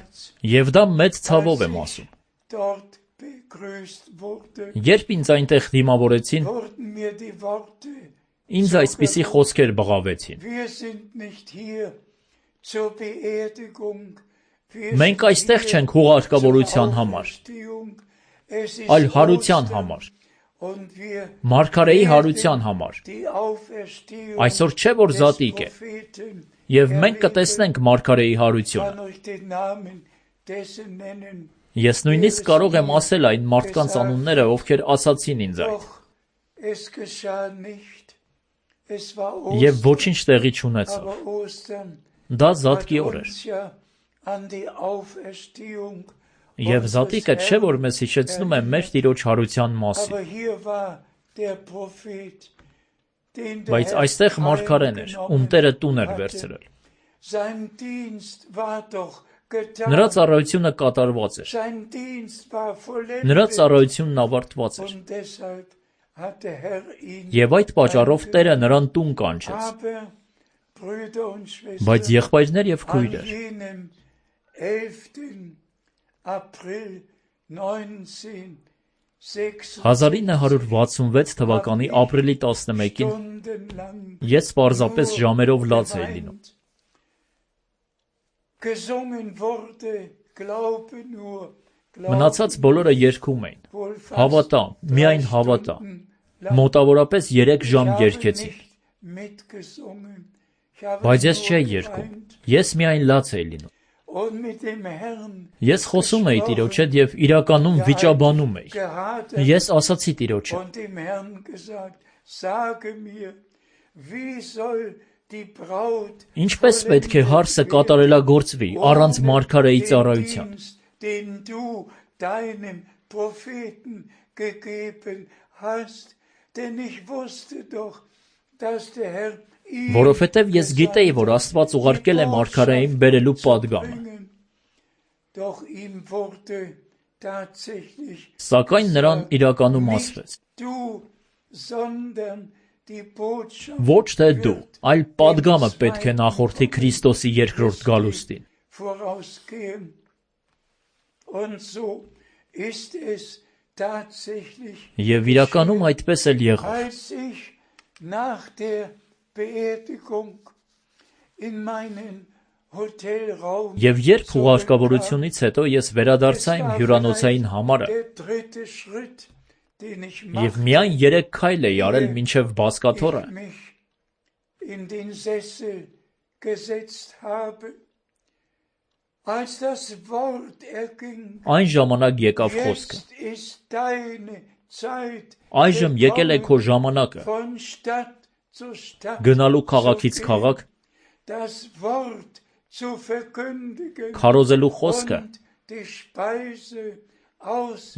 եւ դա մեծ ցավով եմ ասում։ Երբ ինձ այնտեղ դիմավորեցին, ինձ այսպիսի խոսքեր բղավեցին. Մենք այստեղ չենք հուղարկավորության համար, այլ հարության համար, մարգարեի հարության համար։ Այսօր չէ որ Զատիկ է, եւ մենք կտեսնենք մարգարեի հարությունը։ Ես նույնիսկ կարող եմ ասել այն մարդկանց անունները, ովքեր ասացին ինձ այդ։ Եվ ոչինչ տեղի չունեցավ։ Դա Զատկի օր էր։ Եվ Զատիկը չէ որ մեզ հիշեցնում է մեր Տիրոջ հարության մասին։ Բայց այստեղ մարգարեն էր, ում Տերը տուն էր վերցրել։ Նրա ծառայությունը կատարված էր։ Նրա ծառայությունն ավարտված էր։ Եվ այդ պատճառով Տերը նրան տուն կանչեց։ Բայց եղբայրներ եւ քույրեր, 1966 թվականի ապրիլի 11-ին ես պարզապես ժամերով լաց էի լինում։ Մնացած բոլորը երգում էին։ Հավատա, միայն հավատա։ Մոտավորապես 3 ժամ երգեցին։ Բայց ես չէի երգում։ Ես միայն լաց էի լինում։ Ես խոսում էի Տիրոջ հետ եւ իրականում վիճաբանում էի։ Ես ասացի Տիրոջ հետ. Ինչպես պետք է հարսը կատարելագործվի առանց մարգարեի ծառայության։ Որովհետև ես գիտեի, որ Աստված ուղարկել է մարգարեին բերելու պատգամը։ Սակայն նրան իրականում ասվեց. Ոչ թե դու, այլ պատգամը պետք է նախորդի Քրիստոսի երկրորդ գալուստին։ Եվ իրականում այդպես էլ եղավ։ Եվ երբ հուղարկավորությունից հետո ես վերադարձա իմ հյուրանոցային համարը, եւ միայն 3 քայլ էի արել մինչև բազկաթոռը, այն ժամանակ եկավ խոսքը. Այժմ եկել է քո ժամանակը, գնալու քաղաքից քաղաք, քարոզելու խոսքը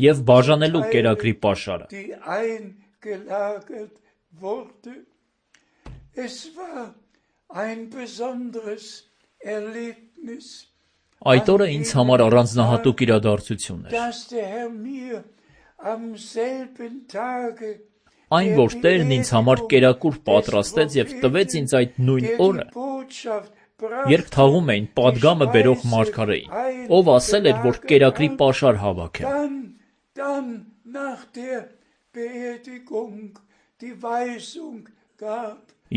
եւ բաժանելու կերակրի պաշարը։ Այդ օրը ինձ համար առանձնահատուկ իրադարձություն էր։ Այն, որ Տերն ինձ համար կերակուր պատրաստեց և տվեց ինձ այդ նույն օրը, երբ թաղում էին պատգամը բերող մարգարեին, ով ասել էր, որ կերակրի պաշար հավաքեմ։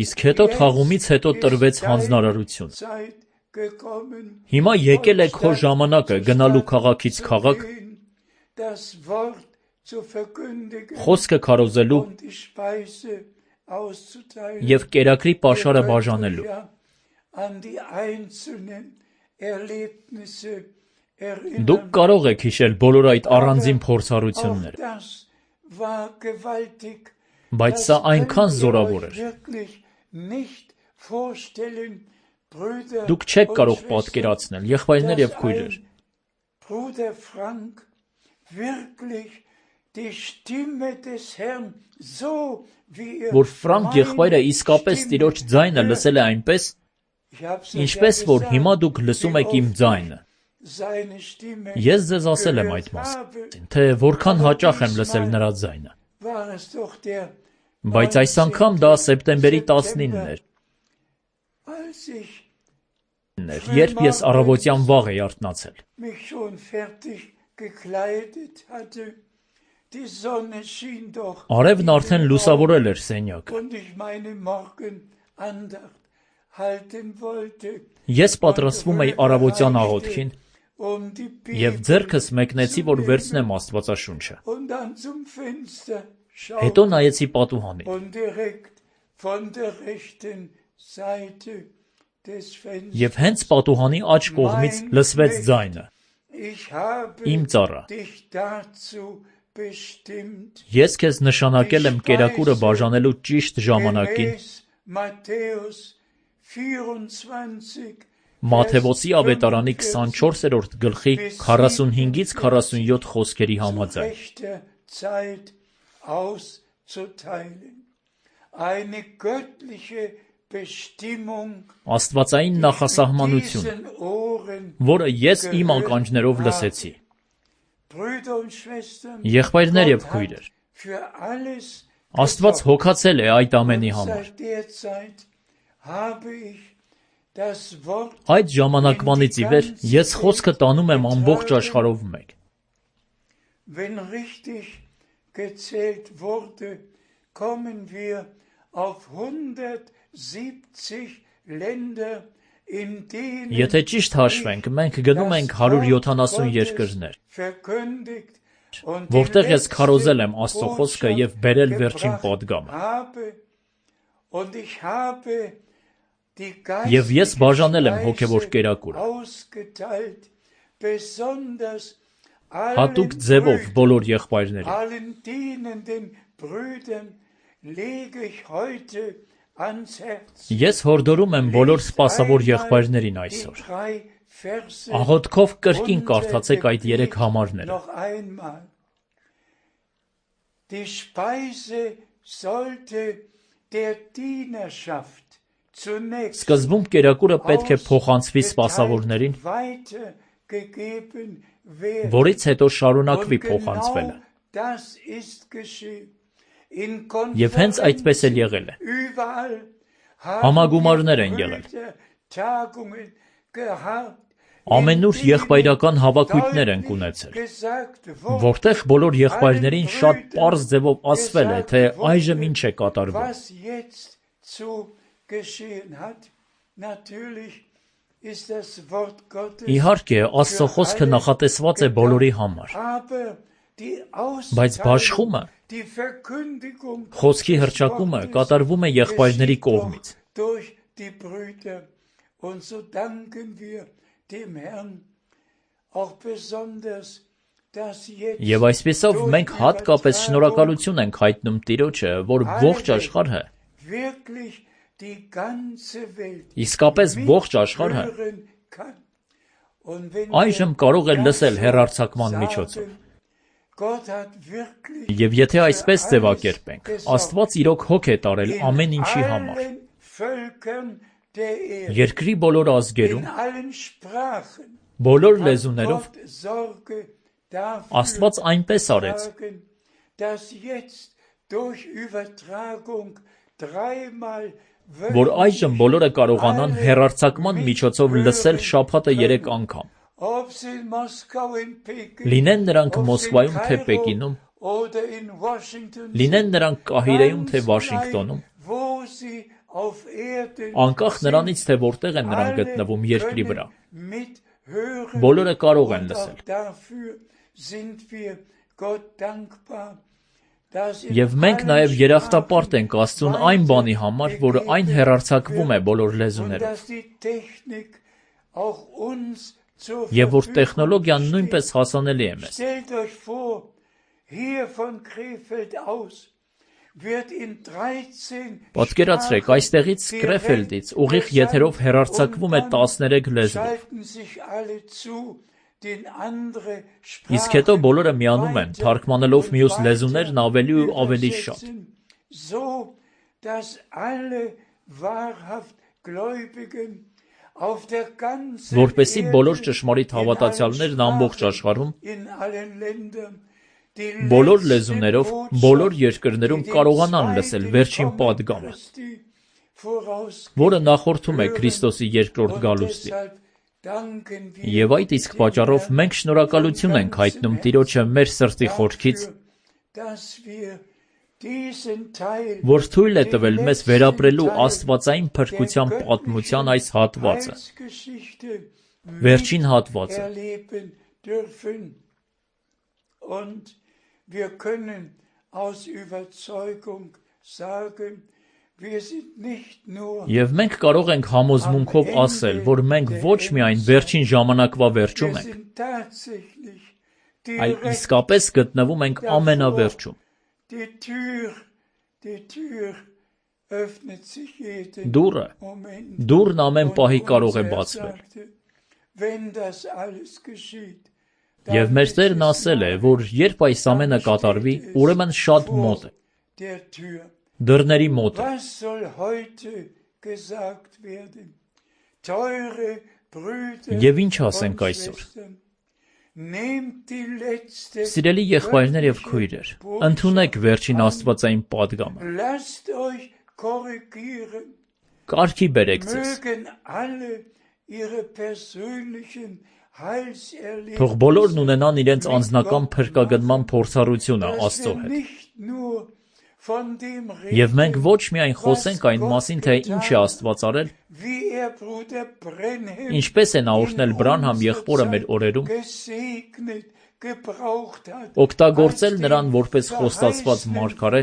Իսկ հետո թաղումից հետո տրվեց հանձնարարություն։ Հիմա եկել է քո ժամանակը գնալու քաղաքից քաղաք, խոսքը քարոզելու և կերակրի պաշարը բաժանելու։ Դուք կարող եք հիշել բոլոր այդ առանձին փորձառությունները, բայց սա այնքան զորավոր էր։ Դուք չեք կարող պատկերացնել, եղբայրներ և քույրեր, որ Ֆրանկ եղբայրը իսկապես Տիրոջ ձայնը լսել է այնպես, ինչպես որ հիմա դուք լսում եք իմ ձայնը։ Ես ձեզ ասել եմ այդ մասին, թե որքան հաճախ եմ լսել նրա ձայնը։ Բայց այս անգամ դա սեպտեմբերի 19-ն էր, երբ ես առավոտյան վաղ էի արթնացել։ Արևն արդեն լուսավորել էր սենյակը։ Ես պատրաստվում էի առավոտյան աղոթքին և ձեռքս մեկնեցի, որ վերցնեմ Աստվածաշունչը։ Հետո նայեցի պատուհանին։ Եվ հենց պատուհանի աջ կողմից լսվեց ձայնը. «Իմ ծառա, ես քեզ նշանակել եմ կերակուրը բաժանելու ճիշտ ժամանակին»։ Մատթեոսի ավետարանի 24-րդ գլխի 45-ից 47 խոսքերի համաձայն։ Աստվածային նախասահմանություն, որը ես իմ ականջներով լսեցի։ Եղբայրներ և քույրեր, Աստված հոգացել է այդ ամենի համար։ Այդ ժամանակվանից ի վեր ես խոսքը տանում եմ ամբողջ աշխարհով մեկ։ Եթե ճիշտ հաշվենք, մենք գնում ենք 170 երկրներ, որտեղ ես քարոզել եմ Աստծո խոսքը և բերել վերջին պատգամը։ Եվ ես բաժանել եմ հոգևոր կերակուրը, հատուկ ձևով բոլոր եղբայրներին։ Ես հորդորում եմ բոլոր սպասավոր եղբայրներին այսօր, աղոթքով կրկին կարդացեք այդ 3 համարները։ Սկզբում կերակուրը պետք է փոխանցվի սպասավորներին, որից հետո շարունակվի փոխանցվելը։ Եվ հենց այդպես էլ եղել է։ Համագումարներ են եղել։ Ամենուր եղբայրական հավաքույթներ ենք ունեցել, որտեղ բոլոր եղբայրներին շատ պարզ ձևով ասվել է, թե այժմ ինչ է կատարվում։ Իհարկե, Աստծո խոսքը նախատեսված է բոլորի համար, բայց բաշխումը, խոսքի հռչակումը կատարվում է եղբայրների կողմից։ Եվ այսպիսով մենք հատկապես շնորհակալություն ենք հայտնում Տիրոջը, որ ողջ աշխարհը, իսկապես ողջ աշխարհը այժմ կարող է լսել հեռարձակման միջոցով։ Եվ եթե այսպես ձևակերպենք, Աստված իրոք հոգ է տարել ամեն ինչի համար։ Երկրի բոլոր ազգերում, Բոլոր լեզուներով Աստված այնպես արեց, որ այժմ բոլորը կարողանան հեռարձակման միջոցով լսել շաբաթը 3 անգամ։ Լինեն նրանք Մոսկվայում թե Պեկինում, լինեն նրանք Կահիրեում թե Վաշինգտոնում, անկախ նրանից, թե որտեղ են նրանք գտնվում երկրի վրա, բոլորը կարող են լսել։ Եվ մենք նաև երախտապարտ ենք Աստծուն այն բանի համար, որ այն հեռարձակվում է բոլոր լեզուներով, եւ որ տեխնոլոգիան նույնպես հասանելի է մեզ։ Պատկերացրեք, այստեղից Կրեֆելդից ուղիղ եթերով հեռարձակվում է 13 լեզվով։ Իսկ հետո բոլորը միանում են, թարգմանելով մյուս լեզուներն ավելի ու ավելի շատ։ Որպեսզի բոլոր ճշմարիտ հավատացյալներն ամբողջ աշխարհում բոլոր լեզուներով, բոլոր երկրներում կարողանան լսել վերջին պատգամը, որը նախորդում է Քրիստոսի երկրորդ գալուստին։ Եվ այդ իսկ պատճառով մենք շնորհակալություն ենք հայտնում Տիրոջը մեր սրտի խորքից, որ թույլ է տվել մեզ վերապրելու աստվածային փրկության պատմության այս հատվածը, վերջին հատվածը։ Եվ մենք կարող ենք համոզմունքով ասել, որ մենք ոչ միայն վերջին ժամանակվա վերջում ենք, այլ իսկապես գտնվում ենք ամենավերջում։ Դուռն ամեն պահի կարող է բացվել։ Եվ մեր Տերն ասել է, որ երբ այս ամենը կատարվի, ուրեմն շատ մոտ է։ Դռների մոտ է։ Եվ ինչ ասենք այսօր։ Սիրելի եղբայրներ եւ քույրեր, ընդունեք վերջին աստվածային պատգամը։ Կարգի բերեք ձեզ։ Թող բոլորն ունենան իրենց անձնական փրկագնման փորձառությունը Աստծո հետ։ Եվ մենք ոչ միայն խոսենք այն մասին, թե ինչ է Աստված արել, ինչպես է նա օրհնել Բրանհամ եղբորը մեր օրերում, օգտագործել նրան որպես խոստացված մարգարե,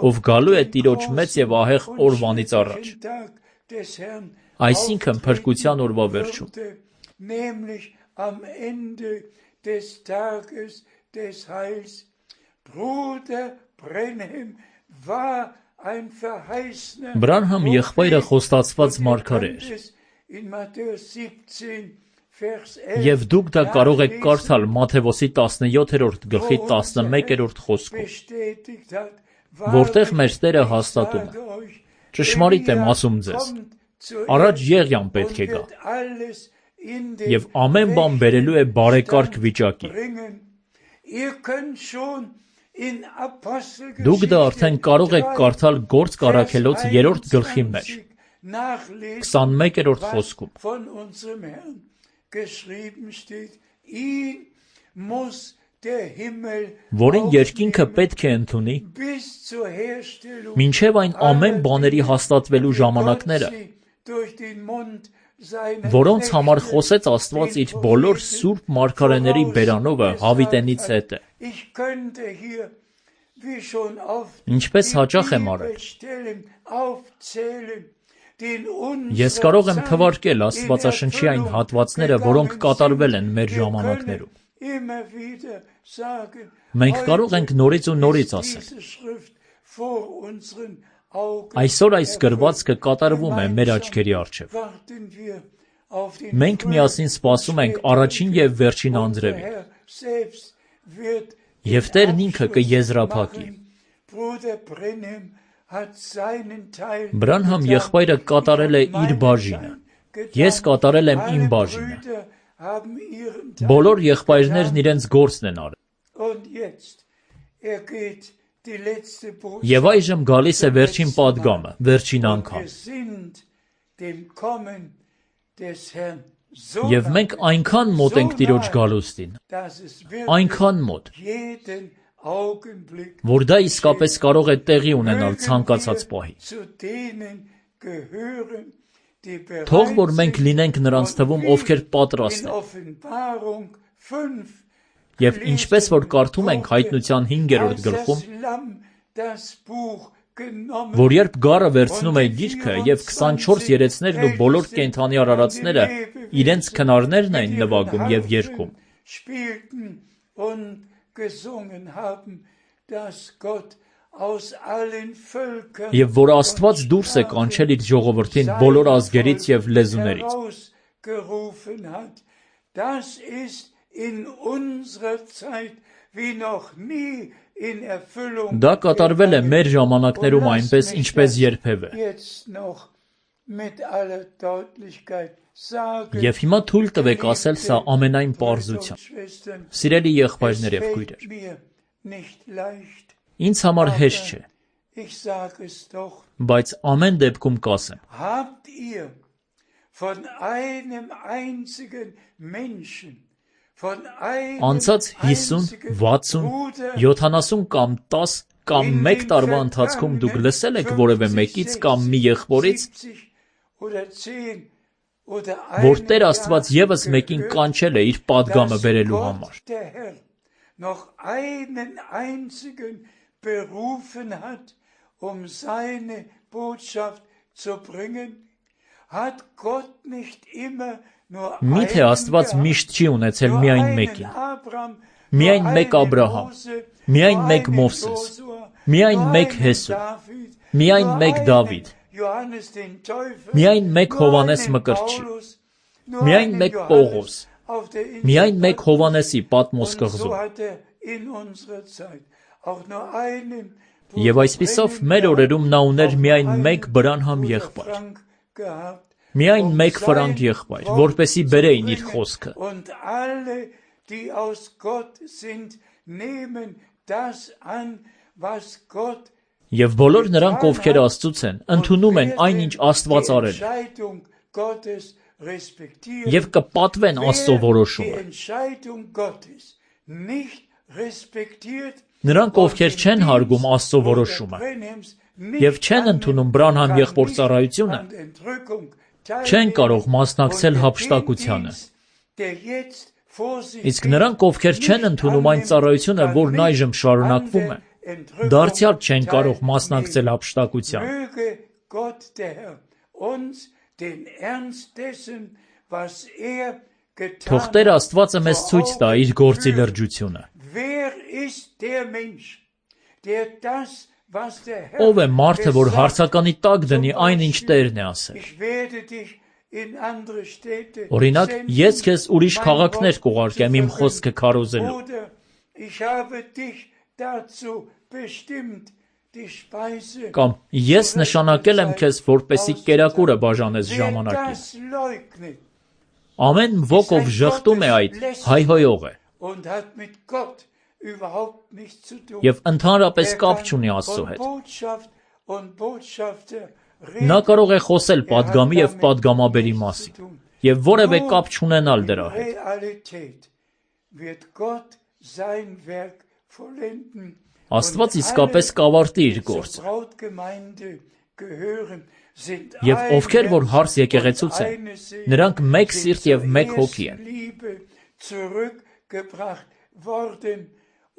ով գալու է Տիրոջ մեծ եւ ահեղ օրվանից առաջ, այսինքն փրկության օրվա վերջում։ Բրանհամ եղբայրը խոստացված մարգարե էր։ Եվ դուք դա կարող եք կարդալ Մատթեոս 17-րդ գլխի 11-րդ խոսքում, որտեղ մեր Տերը հաստատում է. ճշմարիտ եմ ասում ձեզ, առաջ Եղիան պետք է գա, եւ ամեն բան բերելու է բարեկարգ վիճակի։ Դուք դա արդեն կարող եք կարդալ Գործք առաքելոց 3-րդ գլխի մեջ, 21-րդ խոսքում, որին երկինքը պետք է ընդունի, մինչև այն ամեն բաների հաստատվելու ժամանակները, որոնց համար խոսեց Աստված իր բոլոր սուրբ մարգարեների բերանովը հավիտենից հետ է։ Ինչպես հաճախ եմ արել։ Ես կարող եմ թվարկել Աստվածաշնչի այն հատվածները, որոնք կատարվել են մեր ժամանակներում։ Մենք կարող ենք նորից ու նորից ասել. այսօր այս գրվածքը կատարվում է մեր աչքերի առջև։ Մենք միասին սպասում ենք առաջին եւ վերջին անձրևին։ Եվ Տերն ինքը կեզրափակի։ Բրանհամ եղբայրը կատարել է իր բաժինը, Ես կատարել եմ իմ բաժինը։ Բոլոր եղբայրներն իրենց գործն են արել։ Եվ այժմ գալիս է վերջին պատգամը, վերջին անգամ։ Եվ մենք այնքան մոտ ենք Տիրոջ գալուստին, այնքան մոտ, որ դա իսկապես կարող է տեղի ունենալ ցանկացած պահի։ Թող որ մենք լինենք նրանց թվում, ովքեր պատրաստ են։ Եվ ինչպես որ կարդում ենք Հայտնության 5-րդ գլխում, որ երբ գառը վերցնում է գիրքը և 24 երեցներն ու բոլոր կենդանի արարածները իրենց քնարներն էին նվագում և երգում։ Եվ որ Աստված դուրս է կանչել իր ժողովրդին բոլոր ազգերից և լեզուներից։ Դա կատարվել է մեր ժամանակներում այնպես, ինչպես երբևէ։ Եվ հիմա թույլ տվեք ասել սա ամենայն պարզությամբ։ Սիրելի եղբայրներ և քույրեր, ինձ համար հեշտ չէ, բայց ամեն դեպքում կասեմ. Անցած 50, 60, 70 կամ 10 կամ 1 տարվա ընթացքում դուք լսել եք որևէ մեկից կամ մի եղբորից, որ Տեր Աստված ևս մեկին կանչել է իր պատգամը բերելու համար։ Միթե Աստված միշտ չի ունեցել միայն մեկին, միայն մեկ Աբրահամ, միայն մեկ Մովսես, միայն մեկ Հեսու, միայն մեկ Դավիթ, միայն մեկ Հովհաննես Մկրտչի, միայն մեկ Պողոս, միայն մեկ Հովհաննեսի Պատմոս կղզում։ Եվ այսպիսով մեր օրերում նա ուներ միայն մեկ Բրանհամ եղբայր, միայն մեկ Ֆրանկ եղբայր, որպեսզի բերեին իր խոսքը։ Եվ բոլոր նրանք, ովքեր Աստծուց են, ընդունում են այն, ինչ Աստված արել է, և կպատվեն Աստծո որոշումը։ Նրանք, ովքեր չեն հարգում Աստծո որոշումը և չեն ընդունում Բրանհամ եղբոր ծառայությունը, չեն կարող մասնակցել հափշտակությանը։ Իսկ նրանք, ովքեր չեն ընդունում այն ծառայությունը, որն այժմ շարունակվում է, դարձյալ չեն կարող մասնակցել հափշտակությանը։ Թող Տեր Աստվածը մեզ ցույց տա իր գործի լրջությունը։ Ո՞վ է մարդը, որ հարցականի տակ դնի այն, ինչ Տերն է ասել։ Օրինակ, ես քեզ ուրիշ քաղաքներ կուղարկեմ իմ խոսքը քարոզելու։ Կամ ես նշանակել եմ քեզ, որպեսզի կերակուրը բաժանես ժամանակին։ Ամեն ոք, ով ժխտում է այդ, հայհոյող է և ընդհանրապես կապ չունի Աստծո հետ։ Նա կարող է խոսել պատգամի և պատգամաբերի մասին և որևէ կապ չունենալ դրա հետ։ Աստված իսկապես կավարտի իր գործը։ Եվ ովքեր որ հարս եկեղեցուց են, նրանք մեկ սիրտ և մեկ հոգի են։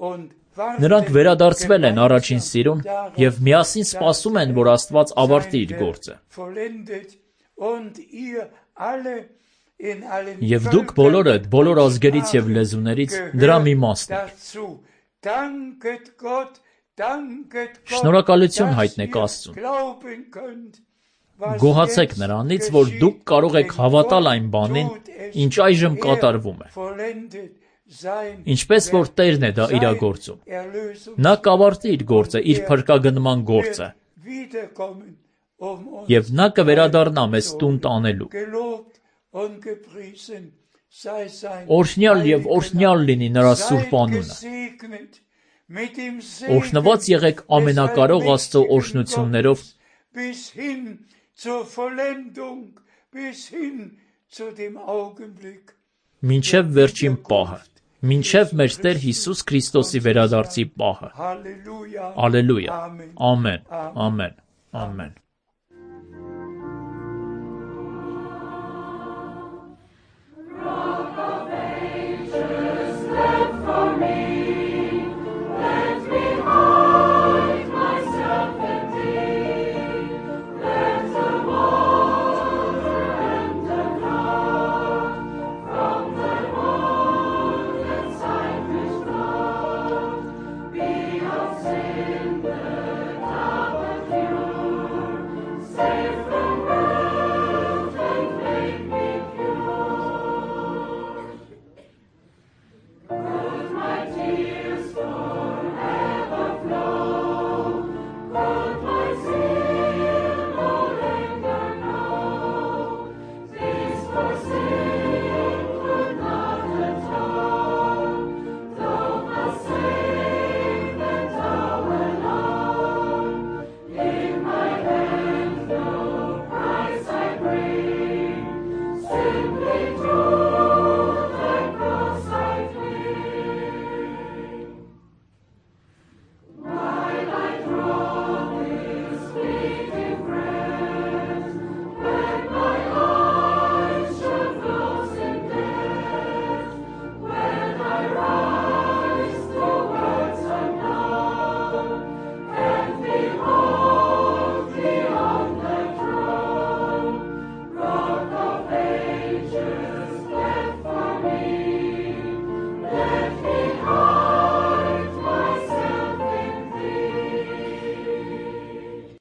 Նրանք վերադարձվել են առաջին սիրուն և միասին սպասում են, որ Աստված ավարտի իր գործը։ Եվ դուք բոլորդ, բոլոր ազգերից և լեզուներից դրա մի մասն եք։ Շնորհակալություն հայտնեք Աստծուն։ Գոհացեք նրանից, որ դուք կարող եք հավատալ այն բանին, ինչ այժմ կատարվում է։ Ինչպես որ Տերն է դա իրագործում։ Նա կավարտի իր գործը, իր փրկագնման գործը։ Եվ նա կվերադառնա մեզ տուն տանելու։ Օրհնյալ եւ օրհնյալ լինի նրա սուրբ անունը։ Օրհնված եղեք ամենակարող Աստծո օրհնություններով bis hin zur Vollendung, bis hin zu dem Augenblick. Մինչև վերջին պահը, մինչև մեր Տեր Հիսուս Քրիստոսի վերադարձի պահը։ Halleluja. Ալելույա։ Amen. Ամեն։ Ամեն։ Ամեն։